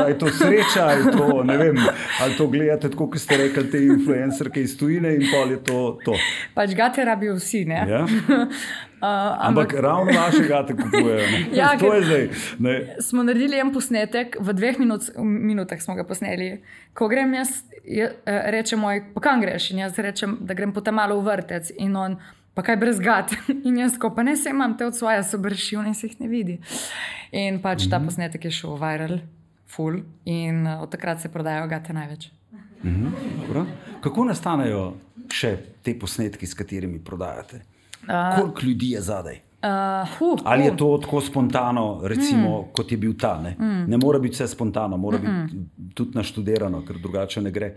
je to sreča, je to, ne vem, ali to gledate tako, kot ste rekli, te influencerke iz tujine in pol je to. Pač gate rabijo vsi, ne? Ja? Ampak ravno naše gate kupujejo. Ja, to je zdaj. Ne? Smo naredili en posnetek, v 2 minutah smo ga posneli. Ko grem jaz, reče moj, pa kam greš? In jaz rečem, da grem potem malo v vrtec in on, pa kaj brez gat. In jaz ko, pa ne se imam te od svoja sobršil, ne se jih ne vidi. In pač ta posnetek je šel viral, full, in od takrat se prodajajo gate največ. Dobro. Kako nastanejo še te posnetki, s katerimi prodajate? Koliko ljudi je zadaj? Ali je to tako spontano, recimo, kot je bil ta? Ne mora biti vse spontano, mora biti tudi naštudirano, ker drugače ne gre.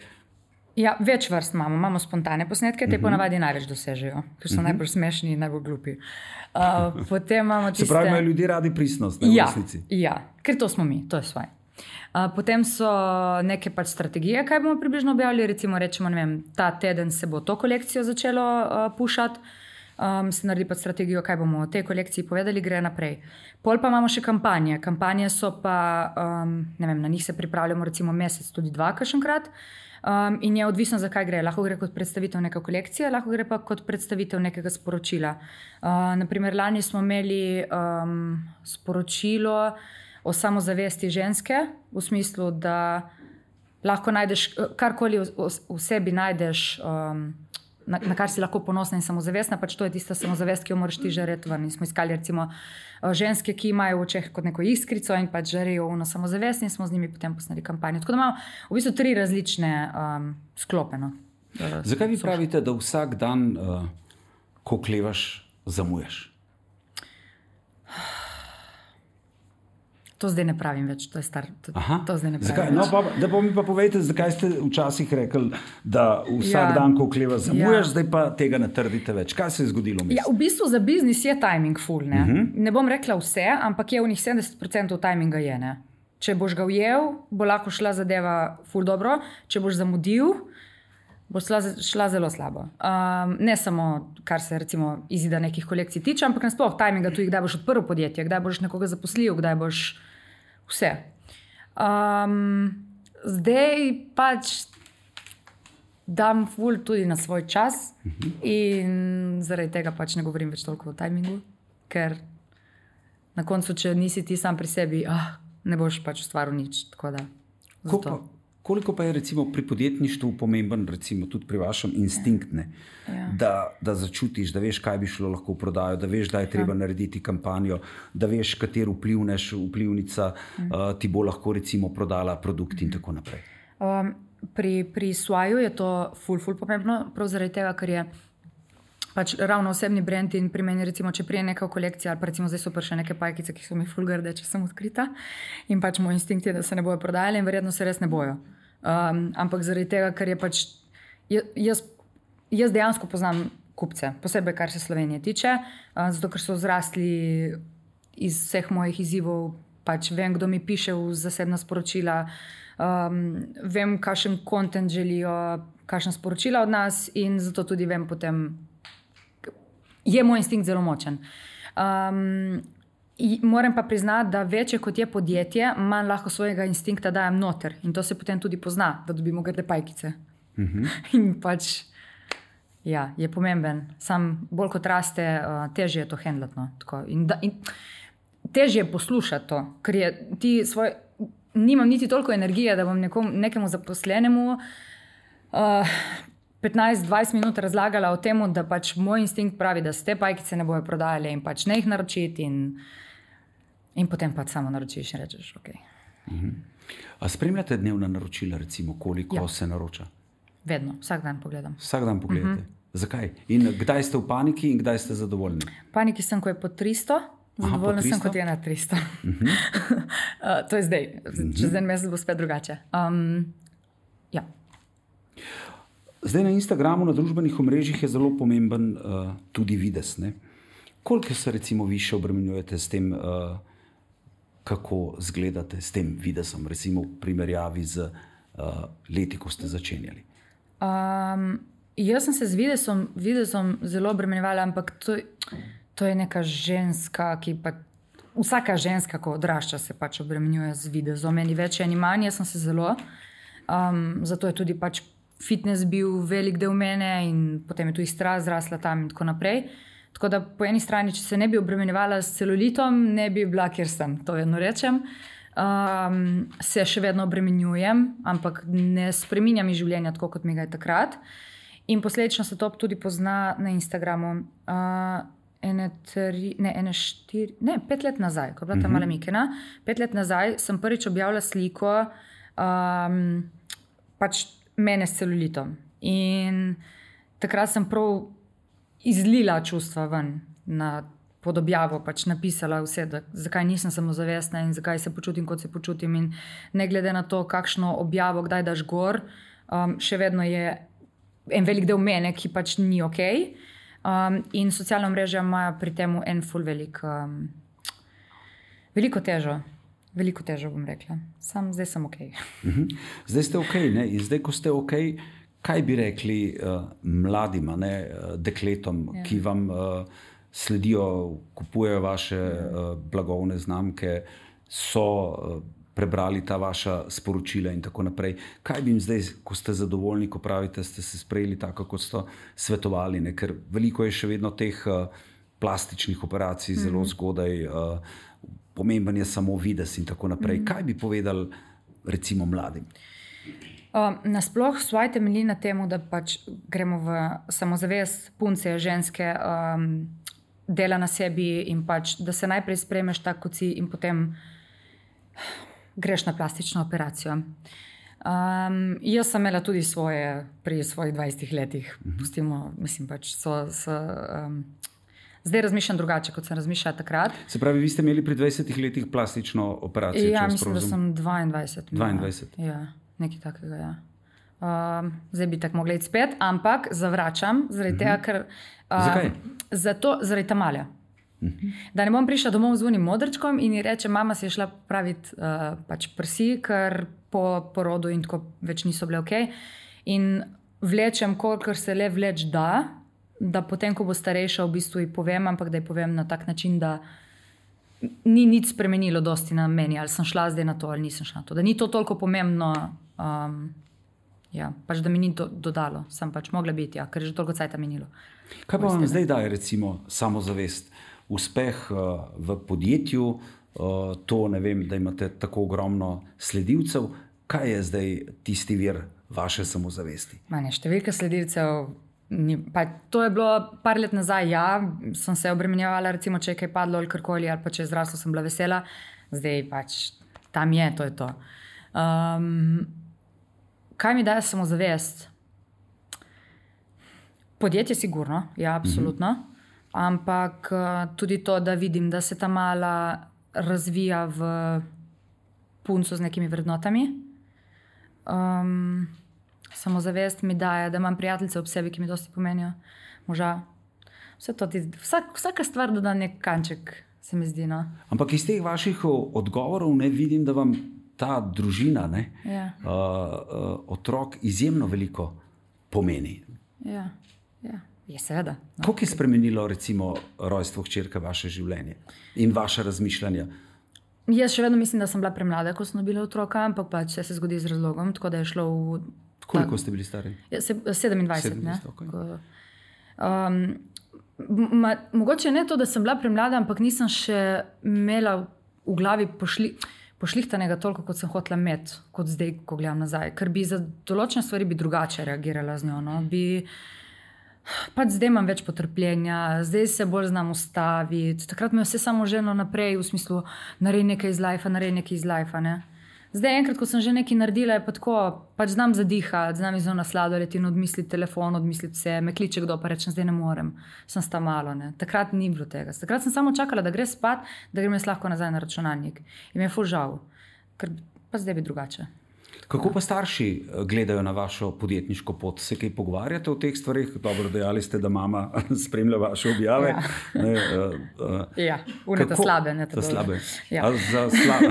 Ja, več vrst imamo spontane posnetke, te ponavadi največ dosežejo, ker so najbolj smešni in najbolj glupi. Potem imamo tiste... Se pravi, imajo ljudje radi pristnost, ne, v resnici? Ja, ker to smo mi, to je svoje. Potem so neke pač strategije, kaj bomo približno objavili, recimo rečemo, ne vem, ta teden se bo to kolekcijo začelo pušati, se naredi pa strategijo, kaj bomo o tej kolekciji povedali, gre naprej. Pol pa imamo še kampanje. Kampanje so pa, ne vem, na njih se pripravljamo recimo mesec, tudi 2 kakšenkrat. In je odvisno, zakaj gre. Lahko gre kot predstavitev neke kolekcije, lahko gre pa kot predstavitev nekega sporočila. Naprimer, lani smo imeli sporočilo o samozavesti ženske, v smislu, da lahko najdeš karkoli v sebi najdeš, na kar si lahko ponosna in samozavestna, pač to je tista samozavest, ki jo moraš ti žareti ven. In smo iskali recimo ženske, ki imajo v očeh kot neko iskrico in pač žarejo ono samozavest in smo z njimi potem posneli kampanjo. Tako da imamo v bistvu 3 različne sklope. No. Zakaj vi pravite, da vsak dan, ko oklevaš, zamujaš? To zdaj ne pravim več, to je star. To zdaj ne pravim. Zakaj? No, da pa mi pa povejte, zakaj ste včasih rekli, da vsak dan, ko oklevaš, zamujaš, zdaj pa tega ne trdite več. Kaj se je zgodilo? Ja, v bistvu za biznis je timing full. Ne bom rekla vse, ampak je v njih 70% timinga je. Ne? Če boš ga ujel, bo lahko šla zadeva full dobro, če boš zamudil, bo šla zelo slabo. Ne samo, kar se recimo izida nekih kolekcij tiče, ampak nasploh timinga tudi, kdaj boš odprl podjetje, kdaj boš nekoga zaposlil, kdaj boš vse. Zdaj pač dam ful tudi na svoj čas in zaradi tega pač ne govorim več toliko o timingu, ker na koncu, če nisi ti sam pri sebi, ne boš pač ustvaril nič. Tako da, koliko pa je recimo pri podjetništvu pomemben, recimo tudi pri vašem instinkt, da začutiš, da veš, kaj bi šlo lahko v prodajo, da veš, da je treba narediti kampanjo, da veš, katero vplivnica ti bo lahko recimo prodala produkt in tako naprej. Pri Swaju je to ful pomembno, prav zaradi tega, ker je pač ravno osebni brand in pri meni recimo, če prije neka kolekcija ali pa recimo zdaj so še neke pajkice, ki so mi ful grde, če sem odkrita in pač moj instinkt je, da se ne bojo prodajali in verjetno se res ne bojo. Ampak zaradi tega, ker je pač jaz dejansko poznam kupce, posebej kar se Slovenije tiče, zato ker so zrasli iz vseh mojih izzivov, pač vem, kdo mi piše v zasebna sporočila, vem, kakšen content želijo, kakšna sporočila od nas in zato tudi vem potem, je moj instinkt zelo močen. Moram pa priznati, da večje kot je podjetje, manj lahko svojega instinkta dajem noter in to se potem tudi pozna, da dobimo grde pajkice. In pač je pomemben. Sam bolj kot raste, težje je to handlati. No? In težje je poslušati to, ker nimam niti toliko energije, da bom nekemu zaposlenemu 15-20 minut razlagala o tem, da pač moj instinkt pravi, da se te pajkice ne bojo prodajale in pač ne jih naročiti in potem pač samo naročiš in rečeš, ok. A spremljate dnevna naročila, recimo, koliko se naroča? Vedno, vsak dan pogledam. Vsak dan pogledate? Zakaj? In kdaj ste v paniki in kdaj ste zadovoljni? V paniki sem, ko je pod 300, zadovoljna sem, kot je na 300. To je zdaj, čez en mesec bo spet drugače. Zdaj na Instagramu, na družbenih omrežjih je zelo pomemben tudi videz. Ne? Koliko se recimo vi še obremenjujete s tem, kako izgledate s tem videzom, recimo v primerjavi z leti, ko ste začenjali? Jaz sem se z videzom zelo obremenjevala, ampak to je neka ženska, ki pa vsaka ženska, ko odrašča, se pač obremenjuje z videzom. Meni več ani manj, jaz sem se zelo. Zato je tudi pač fitness bil velik del mene in potem je tudi strast zrasla tam in tako naprej. Tako da po eni strani, če se ne bi obremenjevala s celulitom, ne bi bila, kjer sem, to vedno rečem. Se še vedno obremenjujem, ampak ne spreminjam iz življenja tako, kot mi ga je takrat. In posledično se to tudi pozna na Instagramu. 5 let nazaj, ko je bila ta mala Mikena, 5 let nazaj sem prvič objavila sliko pač mene s celulitom. In takrat sem prav izlila čustva ven pod objavo, pač napisala vse, zakaj nisem samozavestna in zakaj se počutim, kot se počutim. In ne glede na to, kakšno objavo kdaj daš gor, še vedno je en velik del mene, ki pač ni ok. In socialna mreža imajo pri tem en ful veliko težo. Veliko težo bom rekla. Zdaj sem ok. Zdaj ste ok, ne? In zdaj, ko ste ok, Kaj bi rekli mladim, dekletom, ki vam sledijo, kupujejo vaše blagovne znamke, so prebrali ta vaša sporočila in tako naprej. Kaj bi jim zdaj, ko ste zadovoljni, ko pravite, ste se sprejeli tako, kot ste svetovali, ne? Ker veliko je še vedno teh plastičnih operacij, zelo zgodaj, pomemben je samo videz in tako naprej. Kaj bi povedali recimo mladim? Nasploh svoje temelji na temu, da pač gremo v samozavest punce, ženske, dela na sebi in pač, da se najprej sprejmeš tako, kot si in potem greš na plastično operacijo. Jaz sem imela tudi svoje pri svojih 20 letih. Pustimo, mislim pač, zdaj razmišljam drugače, kot sem razmišljala takrat. Se pravi, vi ste imeli pri 20 letih plastično operacijo? Ja, mislim, da sem 22. 22? Ja, nekaj takega, ja. Zdaj bi tako mogla iti spet, ampak zavračam, zaradi tega, ker... Zakaj? Zaradi Tamalja. Da ne bom prišla domov z unim modrčkom in ji reče, mama si je šla praviti pač prsi, ker po porodu in tako več niso bile okej. In vlečem, kolikor se le vleč da potem, ko bo starejša, v bistvu ji povem, ampak da ji povem na tak način, da ni nič spremenilo dosti na meni, ali sem šla zdaj na to, ali nisem šla na to. Da ni to toliko pomembno, pač da mi ni to dodalo. Sem pač mogla biti, ker je že toliko cajta minilo. Kaj pa vam zdaj daje recimo samozavest? Uspeh v podjetju, to ne vem, da imate tako ogromno sledilcev. Kaj je zdaj tisti vir vaše samozavesti? Številka sledilcev, to je bilo par let nazaj, sem se obremenjevala, recimo, če je kaj padlo ali karkoli, ali pa če je zraslo, sem bila vesela. Zdaj pač tam je, to je to. Kaj mi daje samozavest? Podjetje sigurno, ja, absolutno. Ampak tudi to, da vidim, da se ta mala razvija v punco z nekimi vrednotami. Samozavest mi daje, da imam prijateljice ob sebi, ki mi dosti pomenijo. Moža. Vsaka stvar doda nek kanček, se mi zdi. No? Ampak iz teh vaših odgovorov ne vidim, da vam ta družina, otrok izjemno veliko pomeni. Ja. Je seveda. No. Koliko je spremenilo recimo rojstvo hčerke vaše življenje in vaše razmišljanja? Jaz še vedno mislim, da sem bila premlada, ko sem dobila otroka, ampak pač se zgodi z razlogom, tako da je šlo v... Koliko ste bili stari? 27, ne? Okay. Mogoče ne to, da sem bila premlada, ampak nisem še imela v glavi pošlihtanega toliko, kot sem hotela imeti, kot zdaj, ko gledam nazaj. Ker bi za določene stvari bi drugače reagirala z njo. No? Pač zdaj imam več potrpljenja, zdaj se bolj znam ustaviti. Takrat me vse samo ženo naprej, v smislu, naredi nekaj iz lajfa, ne. Zdaj enkrat, ko sem že nekaj naredila, je pa tako, pač znam zadihati, znam iz ona sladoleti in odmisliti telefon, odmisliti vse, me kliče kdo, pa rečem, zdaj ne morem, sem sta malo, ne. Takrat ni bilo tega. Takrat sem samo čakala, da gre spat, da grem jaz lahko nazaj na računalnik. In mi je ful žal, ker pa zdaj bi drugače. Kako pa starši gledajo na vašo podjetniško pot? Se kaj pogovarjate o teh stvarih? Dobro, dejali ste, da mama spremlja vaše objave. Ja, unete slabe. Za slabe. Ja. Za slabe.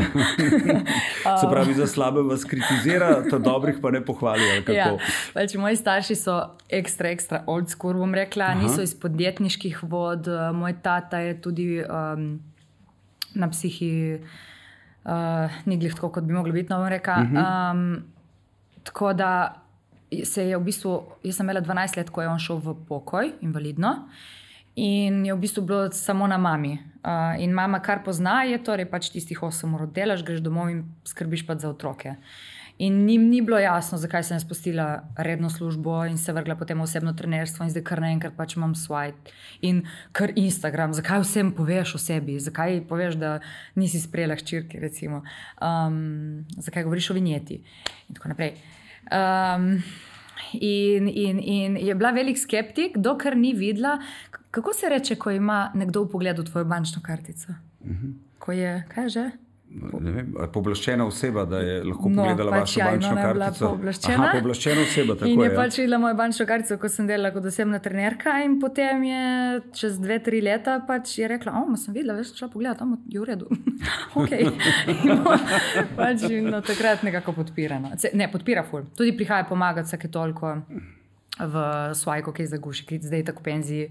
Se pravi, za slabe vas kritizira, ta dobrih pa ne pohvalijo. Ja, pač moji starši so ekstra old school, bom rekla. Niso iz podjetniških vod. Moj tata je tudi na psihi... ni glih tako, kot bi mogli biti, no bom reka. Tako da se je v bistvu, jaz sem imela 12 let, ko je on šel v pokoj, invalidno, in je v bistvu bilo samo na mami. In mama, kar pozna, je torej pač tistih 8 ur delaš, greš domov in skrbiš pač za otroke. In njim ni bilo jasno, zakaj sem spustila redno službo in se vrgla potem osebno trenerstvo in zdaj kar naenkrat pač imam swipe in kar Instagram. Zakaj vsem poveš o sebi? Zakaj poveš, da nisi sprejela hčerke, recimo? Zakaj govoriš o vinjeti? In tako naprej. In je bila velik skeptik, dokler ni videla, kako se reče, ko ima nekdo v pogledu tvojo bančno kartico? Ko je, kaj je že? Poblaščena oseba, da je lahko pogledala vašo bančno kartico. Poblaščena. Poblaščena oseba, tako je. In je pač videla mojo bančno kartico, ko sem delala kot osebna trenerka, in potem je čez 2-3 leta pač je rekla, sem videla, veš, šla pogledati, je v redu. Okay. Pač takrat nekako podpira. No. Ne, podpira ful. Tudi prihaja pomagati vsake toliko v svojko, ki je zaguši, ki zdaj tako penziji.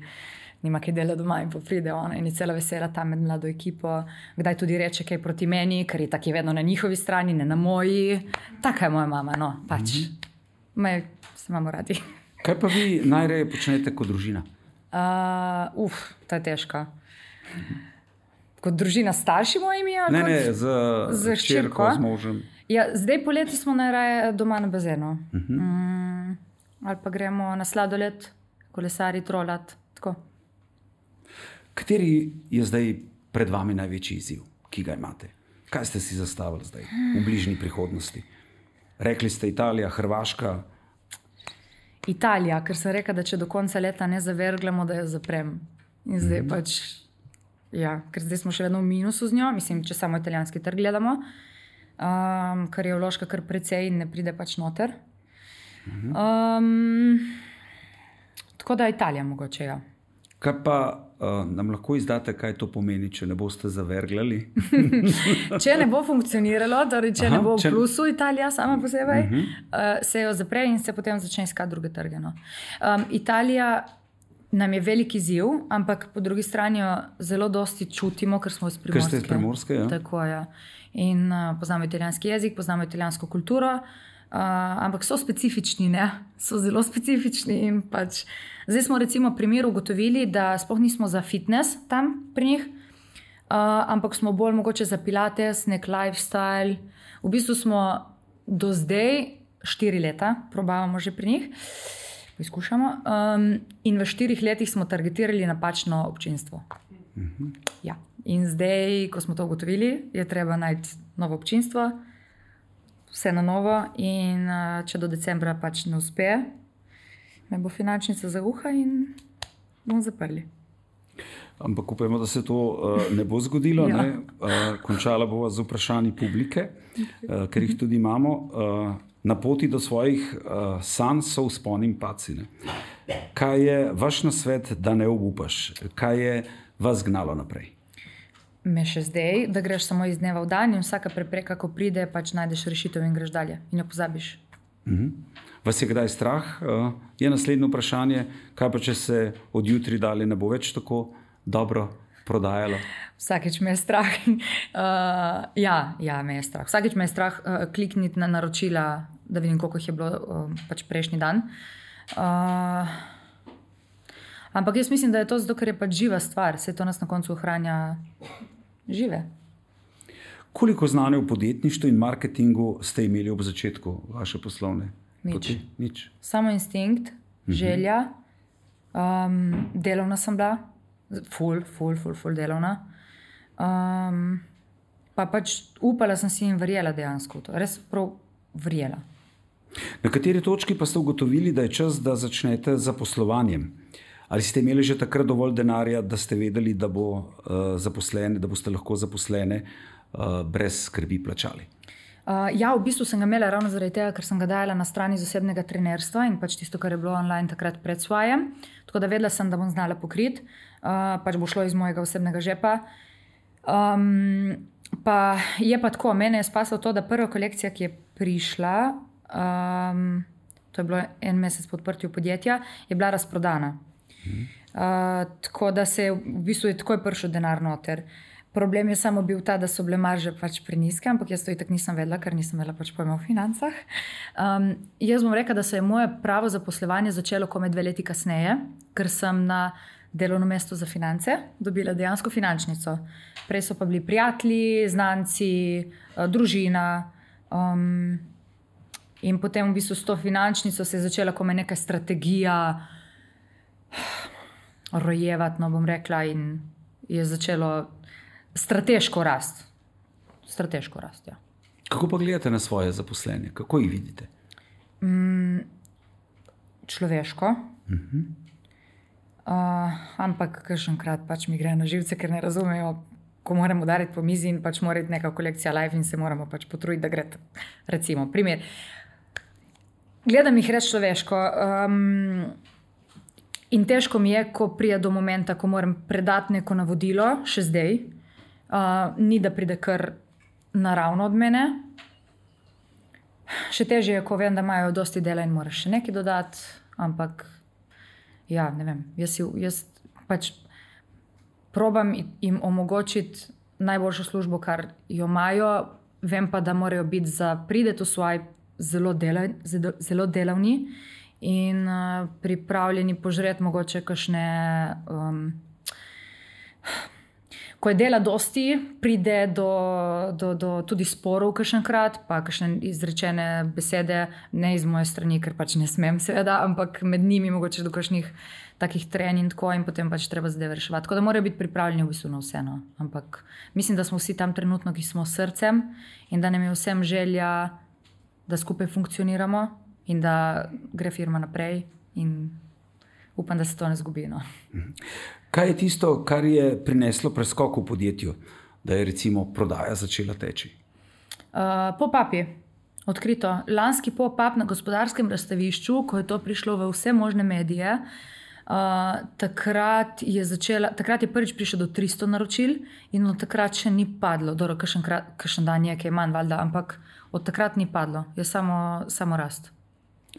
Nima kaj dela doma in pride ona in je cela vesela tam med mlado ekipo. Kdaj tudi reče kaj proti meni, ker je tako vedno na njihovi strani, ne na moji. Taka je moja mama, no, pač. Se imamo radi. Kaj pa vi najraje počnete kot družina? Ta je težka. Kot družina s starši mojimi? Ne, z hčerko, z možem. Ja, zdaj poleti smo najraje doma na bazenu. Ali pa gremo na sladoled, kolesari, trolat, tako. Kateri je zdaj pred vami največji izziv, ki ga imate? Kaj ste si zastavili zdaj v bližnji prihodnosti? Rekli ste Italija, Hrvaška. Italija, ker sem rekla, da če do konca leta ne zaverglamo, da jo zaprem. In zdaj pač, ker zdaj smo še vedno v minusu z njo, mislim, če samo italijanski trg gledamo, ker je vložka kar precej in ne pride pač noter. Tako da Italija mogoče, ja. Kaj pa nam lahko izdate, kaj to pomeni, če ne boste zaverglali? Če ne bo funkcioniralo, torej če ne bo v plusu Italija sama posebej, se jo zapre in se potem začne iskati druge trge. No. Italija nam je velik izziv, ampak po drugi strani jo zelo dosti čutimo, ker smo iz Primorske. Ker ste iz Primorske, ja. Tako, ja. In poznamo italijanski jezik, poznamo italijansko kulturo, ampak so specifični, ne? So zelo specifični in pač zdaj smo recimo primer ugotovili, da sploh nismo za fitness tam pri njih, ampak smo bolj mogoče za pilates, nek lifestyle. V bistvu smo do zdaj 4 leta probavamo že pri njih, poizkušamo, in v 4 letih smo targetirali napačno občinstvo. Ja. In zdaj, ko smo to ugotovili, je treba najti novo občinstvo, vse na novo, in če do decembra pač ne uspe, me bo finančnica zauha in bomo zaprli. Ampak upajmo, da se to ne bo zgodilo. Ja. Ne? Končala bova z vprašanji publike, ker jih tudi imamo. Na poti do svojih sanj so vzponi in padci. Kaj je vaš nasvet, da ne obupaš? Kaj je vas gnalo naprej? Me še zdaj, da greš samo iz dneva v dan in vsaka prepreka, ko pride, pač najdeš rešitev in greš dalje in jo pozabiš. Vas je kdaj strah? Je naslednje vprašanje, kaj pa če se od jutri dalje ne bo več tako dobro prodajalo? Vsakeč me je strah. Ja, me je strah. Vsakeč me je strah klikniti na naročila, da vidim, koliko jih je bilo pač prejšnji dan. Ampak jaz mislim, da je to zato, ker je pač živa stvar. Vse to nas na koncu ohranja žive. Koliko znanja v podjetništvu in marketingu ste imeli ob začetku vaše poslovne poti? Nič. Samo instinkt, želja, delovna sem bila, ful delovna. Pa pač upala sem si in verjela dejansko. Res prav verjela. Na kateri točki pa ste ugotovili, da je čas, da začnete z zaposlovanjem? Ali ste imeli že takrat dovolj denarja, da ste vedeli, da boste lahko zaposlene brez skrbi plačali? Ja, v bistvu sem ga imela ravno zaradi tega, ker sem ga dajala na strani z osebnega trenerstva in pač tisto, kar je bilo online takrat pred svojem. Tako da vedela sem, da bom znala pokriti. Pač bo šlo iz mojega osebnega žepa. Pa je pa tako, mene je spasilo to, da prva kolekcija, ki je prišla, to je bilo 1 mesec po odprtju podjetja, je bila razprodana. Tako da se v bistvu je takoj prišel denar noter. Problem je samo bil ta, da so bile marže pač preniske, ampak jaz to itak nisem vedela, ker nisem imela pač pojma o financah. Jaz bom rekla, da se je moje pravo zaposlovanje začelo komaj 2 leti kasneje, ker sem na delovno mesto za finance dobila dejansko finančnico. Prej so pa bili prijatelji, znanci, družina. In potem v bistvu s to finančnico se je začela komaj neka strategija rojevati, no bom rekla, in je začelo strateško rast. Strateško rast, ja. Kako pa gledate na svoje zaposlenje? Kako jih vidite? Človeško. Ampak kakšenkrat pač mi gre na živce, ker ne razumejo ko moramo udariti po mizi in pač mora iti neka kolekcija live in se moramo pač potruditi, da gre. Recimo, primer. Gledam jih res človeško in težko mi je, ko pride do momenta, ko moram predati neko navodilo, še zdaj, ni da pride kar naravno od mene. Še težje je, ko vem, da imajo dosti dela in moraš še nekaj dodati, ampak ja, ne vem, jaz pač probam jim omogočiti najboljšo službo, kar jo imajo, vem pa, da morajo biti za prideti v svoj zelo delavni in pripravljeni požreti mogoče kakšne... Ko je dela dosti, pride do tudi sporov kakšenkrat, pa kakšne izrečene besede, ne iz moje strani, ker pač ne smem seveda, ampak med njimi mogoče do kakšnih takih trenj in tako in potem pač treba zadeve reševati. Tako da morajo biti pripravljeni v bistvu na vse. No. Ampak mislim, da smo vsi tam trenutno, ki smo s srcem in da nam je vsem želja, da skupaj funkcioniramo in da gre firma naprej in upam, da se to ne zgubi. No. Kaj je tisto, kar je prineslo preskok v podjetju, da je recimo prodaja začela teči? Pop-upi, odkrito. Lanski pop-up na Gospodarskem razstavišču, ko je to prišlo v vse možne medije, takrat je prvič prišlo do 300 naročil in od takrat še ni padlo. Dobro, kakšen dan je, ki je manj, valjda, ampak od takrat ni padlo. Je samo rast.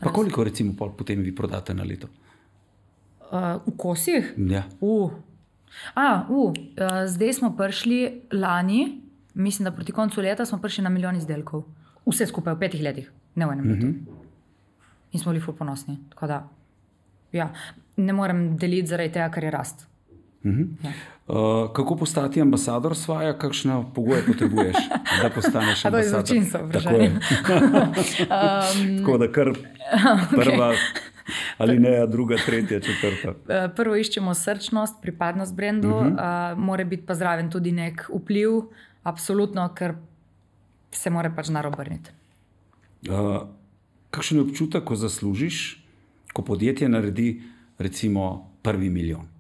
Pa koliko recimo potem vi prodate na leto? V kosih? Ja. Zdaj smo prišli lani, mislim, da proti koncu leta smo prišli na 1 milijon izdelkov. Vse skupaj v 5 letih, ne v enem letu. In smo bili ful ponosni. Tako da, ja, ne morem deliti zaradi tega, kar je rast. Ja. Kako postati ambasador Svaja? Kakšne pogoje potrebuješ, da postaneš ambasador? To je zločinsko vprašanje. Tako da kar prva... Ali ne, druga, tretja, četrta? Prvo iščemo srčnost, pripadnost brendu, mora biti pa zraven tudi nek vpliv, absolutno, ker se mora pač narobrniti. Kakšen je občutek, ko zaslužiš, ko podjetje naredi recimo 1 milijon?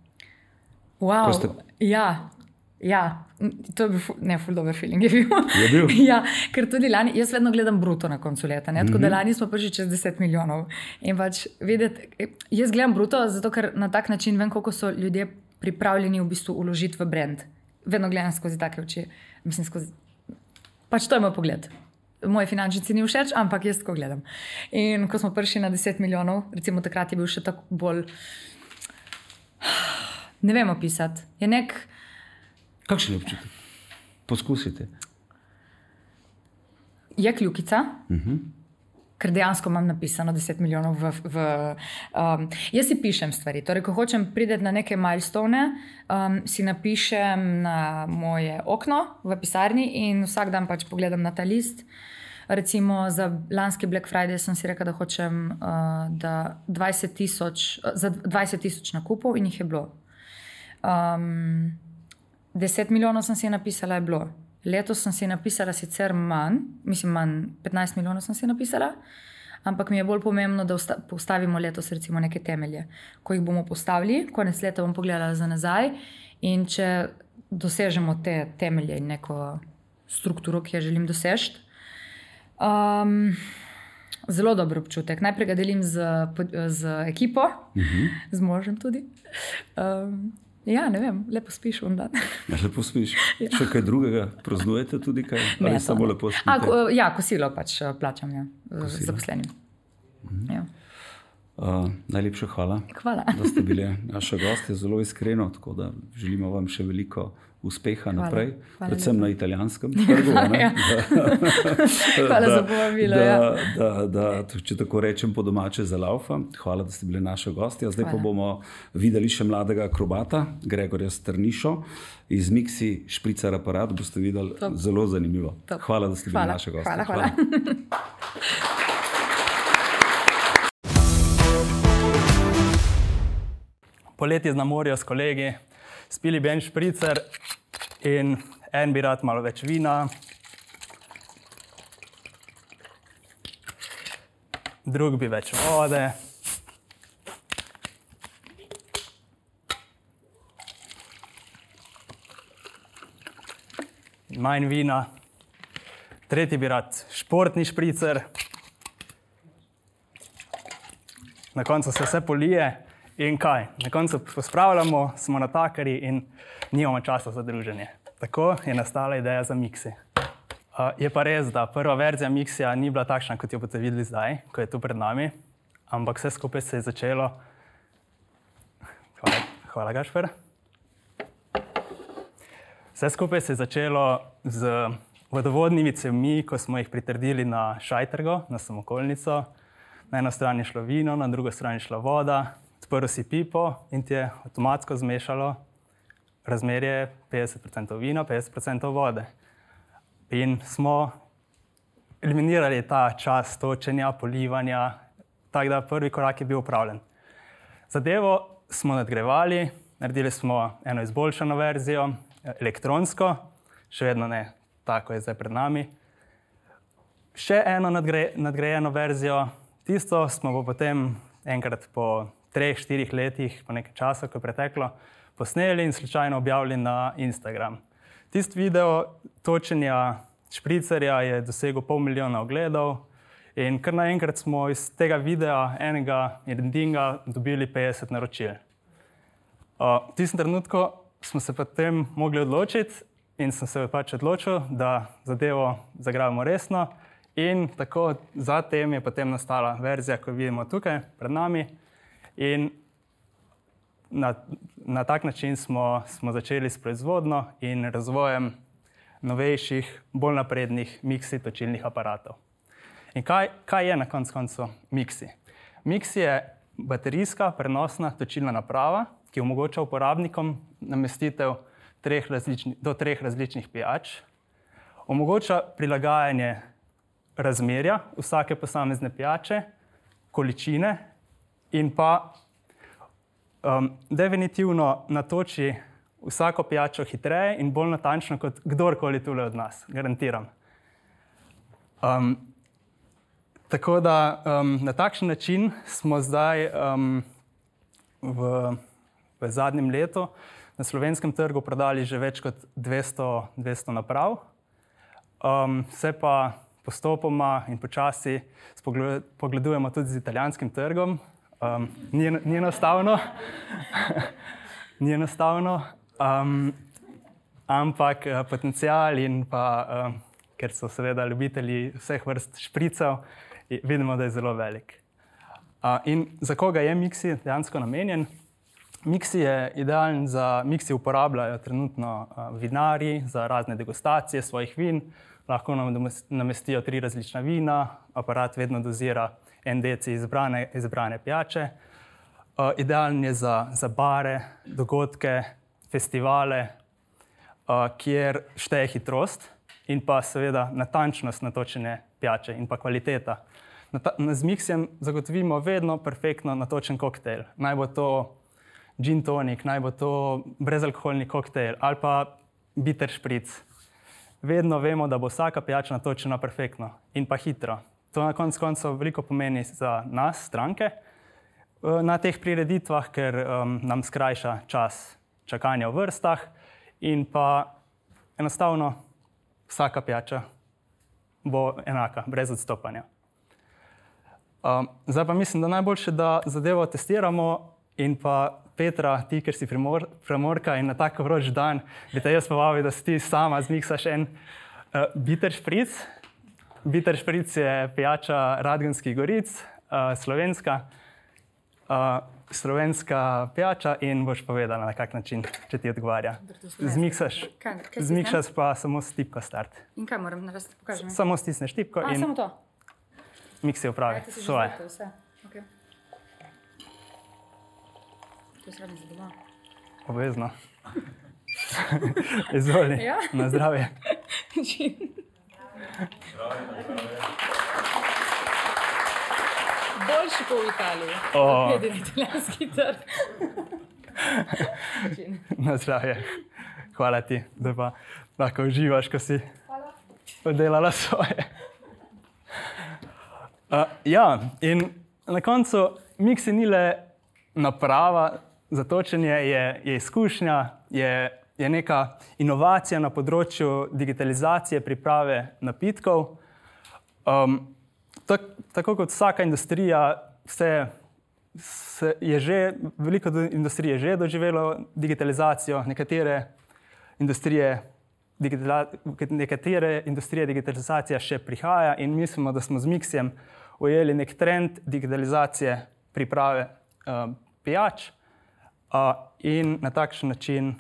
Wow, ja. To je bil ful dober feeling je bil. Je bil? Ja, ker tudi lani, jaz vedno gledam bruto na koncu leta, tako da lani smo prišli čez 10 milijonov. In pač videti, jaz gledam bruto, zato ker na tak način vem, koliko so ljudje pripravljeni v bistvu uložiti v brand. Vedno gledam skozi take oči. Mislim, pač to je moj pogled. Moje finančnici ni všeč, ampak jaz tako gledam. In ko smo prišli na 10 milijonov, recimo takrat je bil še tako bolj, ne vem opisati, je nek... Kakšen je občutek? Poskusite. Je kljukica, ker dejansko imam napisano 10 milijonov jaz si pišem stvari. Torej, ko hočem priti na neke milestone, si napišem na moje okno v pisarni in vsak dan pač pogledam na ta list. Recimo za lanski Black Friday sem si rekla, da hočem za 20,000 nakupov in jih je bilo. 10 milijonov sem si napisala, je bilo. Letos sem si napisala sicer manj, 15 milijonov sem si napisala, ampak mi je bolj pomembno, da postavimo letos recimo neke temelje. Ko jih bomo postavili, konec leta bom pogledala za nazaj in če dosežemo te temelje in neko strukturo, ki jo želim doseči, zelo dober občutek. Najprej ga delim z ekipo, z možem tudi. Ja, ne vem, lepo spiš v dan. Lepo spiš. Ja. Še kaj drugega praznujete tudi kaj? Ali samo lepo spite? Ja, kosilo pač plačam zaposlenim. Ja. Najlepša hvala, da ste bili naša gostja, zelo iskreno, tako da želimo vam še veliko uspeha naprej, predvsem na italijanskem trgu. Hvala za povabilo. Če tako rečem po domače za laufa. Hvala, da ste bili naša gostja. Zdaj pa bomo videli še mladega akrobata, Gregorja Strnišo, iz Mixi špricar aparat. Boste videli zelo zanimivo. Hvala, da ste bili naša gostja. Hvala. Poleti na morju s kolegi, spili bi en špricer in en bi rad malo več vina, drug bi več vode. manj vina. Tretji bi rad športni špricer. Na koncu se vse polije in kaj? Na koncu pospravljamo, smo natakarji in nimamo časa za druženje. Tako je nastala ideja za Mixi. Je pa res, da prva verzija Mixija ni bila takšna, kot jo boste videli zdaj, ko je tu pred nami, ampak vse skupaj se je začelo. Hvala, Gašper. Vse skupaj se je začelo z vodovodnimi cevmi, ko smo jih pritrdili na šajtrgo, na samokolnico. Na eno stran je šlo vino, na drugo stran je šla voda, odprl si pipo in ti je avtomatsko zmešalo razmerje 50% vina, 50% vode. In smo eliminirali ta čas točenja, polivanja, tako da prvi korak je bil opravljen. Zadevo smo nadgrajevali, naredili smo eno izboljšano verzijo, elektronsko, še vedno ne tako je zdaj pred nami. Še eno nadgrajeno verzijo, tisto smo pa potem enkrat po 3-4 letih, po nekaj časa, ko je preteklo, posneli in slučajno objavili na Instagram. Tisti video točenja špricerja je dosegel 500 000 ogledov in kar naenkrat smo iz tega videa enega jedinega dobili 50 naročil. V tistem trenutku smo se potem mogli odločiti in sem se pač odločil, da zadevo zagrabimo resno in tako zatem je potem nastala verzija, ko jo vidimo tukaj pred nami in na tak način smo začeli s proizvodnjo in razvojem novejših, bolj naprednih Mixi točilnih aparatov. In kaj je na koncu Mixi? Mixi je baterijska prenosna točilna naprava, ki omogoča uporabnikom namestitev do 3 različnih pijač, omogoča prilagajanje razmerja vsake posamezne pijače, količine in pa definitivno natoči vsako pijačo hitreje in bolj natančno kot kdorkoli tule od nas, garantiram. Tako da na takšen način smo zdaj v zadnjem letu na slovenskem trgu prodali že več kot 200 naprav. Se pa postopoma in počasi pogledujemo tudi z italijanskim trgom. Ni enostavno, ampak potencial in pa, ker so seveda ljubitelji vseh vrst špricev, vidimo, da je zelo velik. In za koga je Mixi dejansko namenjen? Mixi uporabljajo trenutno vinarji za razne degustacije svojih vin, lahko nam namestijo 3 različna vina, aparat vedno dozira 1 deci izbrane pijače. Idealen je za bare, dogodke, festivale, kjer šteje hitrost in pa seveda natančnost natočene pijače in pa kvaliteta. Z Mixijem zagotovimo vedno perfektno natočen koktejl. Naj bo to gin tonic, naj bo to brezalkoholni koktejl ali pa bitter špric. Vedno vemo, da bo vsaka pijača natočena perfektno in pa hitro. To na koncu koncev veliko pomeni za nas, stranke, na teh prireditvah, ker nam skrajša čas čakanja v vrstah in pa enostavno vsaka pijača bo enaka, brez odstopanja. Zdaj pa mislim, da najboljše, da zadevo testiramo in pa Petra, ti, ker si Primorka in na tak vroč dan, bi te jaz povabil, da si ti sama zmiksaš en bitter špric. Bitter špric je pijača Radgonskih goric, slovenska pijača in boš povedala, na kak način, če ti odgovarja. Zmiksaš pa samo s tipko start. In kaj moram narediti? Pokaži mi. Samo stisneš tipko in samo to. Mixi opravi svoje. To je srednje za doma. Obvezno. Izvoli, na zdravje. Boljši po Italiji. Glede na italijanski trg. Na zdravje. Hvala ti, da pa lahko uživaš, ko si oddelala svoje. In na koncu Mixi ni le naprava za točenje, je izkušnja, je je neka inovacija na področju digitalizacije priprave napitkov. Tako kot vsaka industrija, veliko industrije je že doživelo digitalizacijo, nekatere industrije digitalizacija še prihaja in mislimo, da smo z Mixijem ujeli nek trend digitalizacije priprave pijač in na takšen način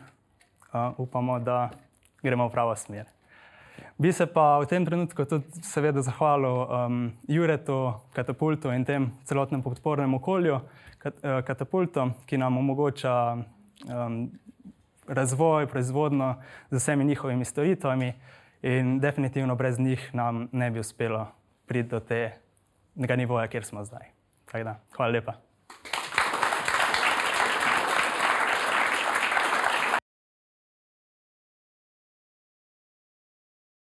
upamo, da gremo v pravo smer. Bi se pa v tem trenutku tudi seveda zahvalil Juretu, Katapultu in tem celotnem podpornem okolju Katapultu, ki nam omogoča razvoj, proizvodnjo z vsemi njihovimi storitvami in definitivno brez njih nam ne bi uspelo priti do tega nivoja, kjer smo zdaj. Tako da, hvala lepa.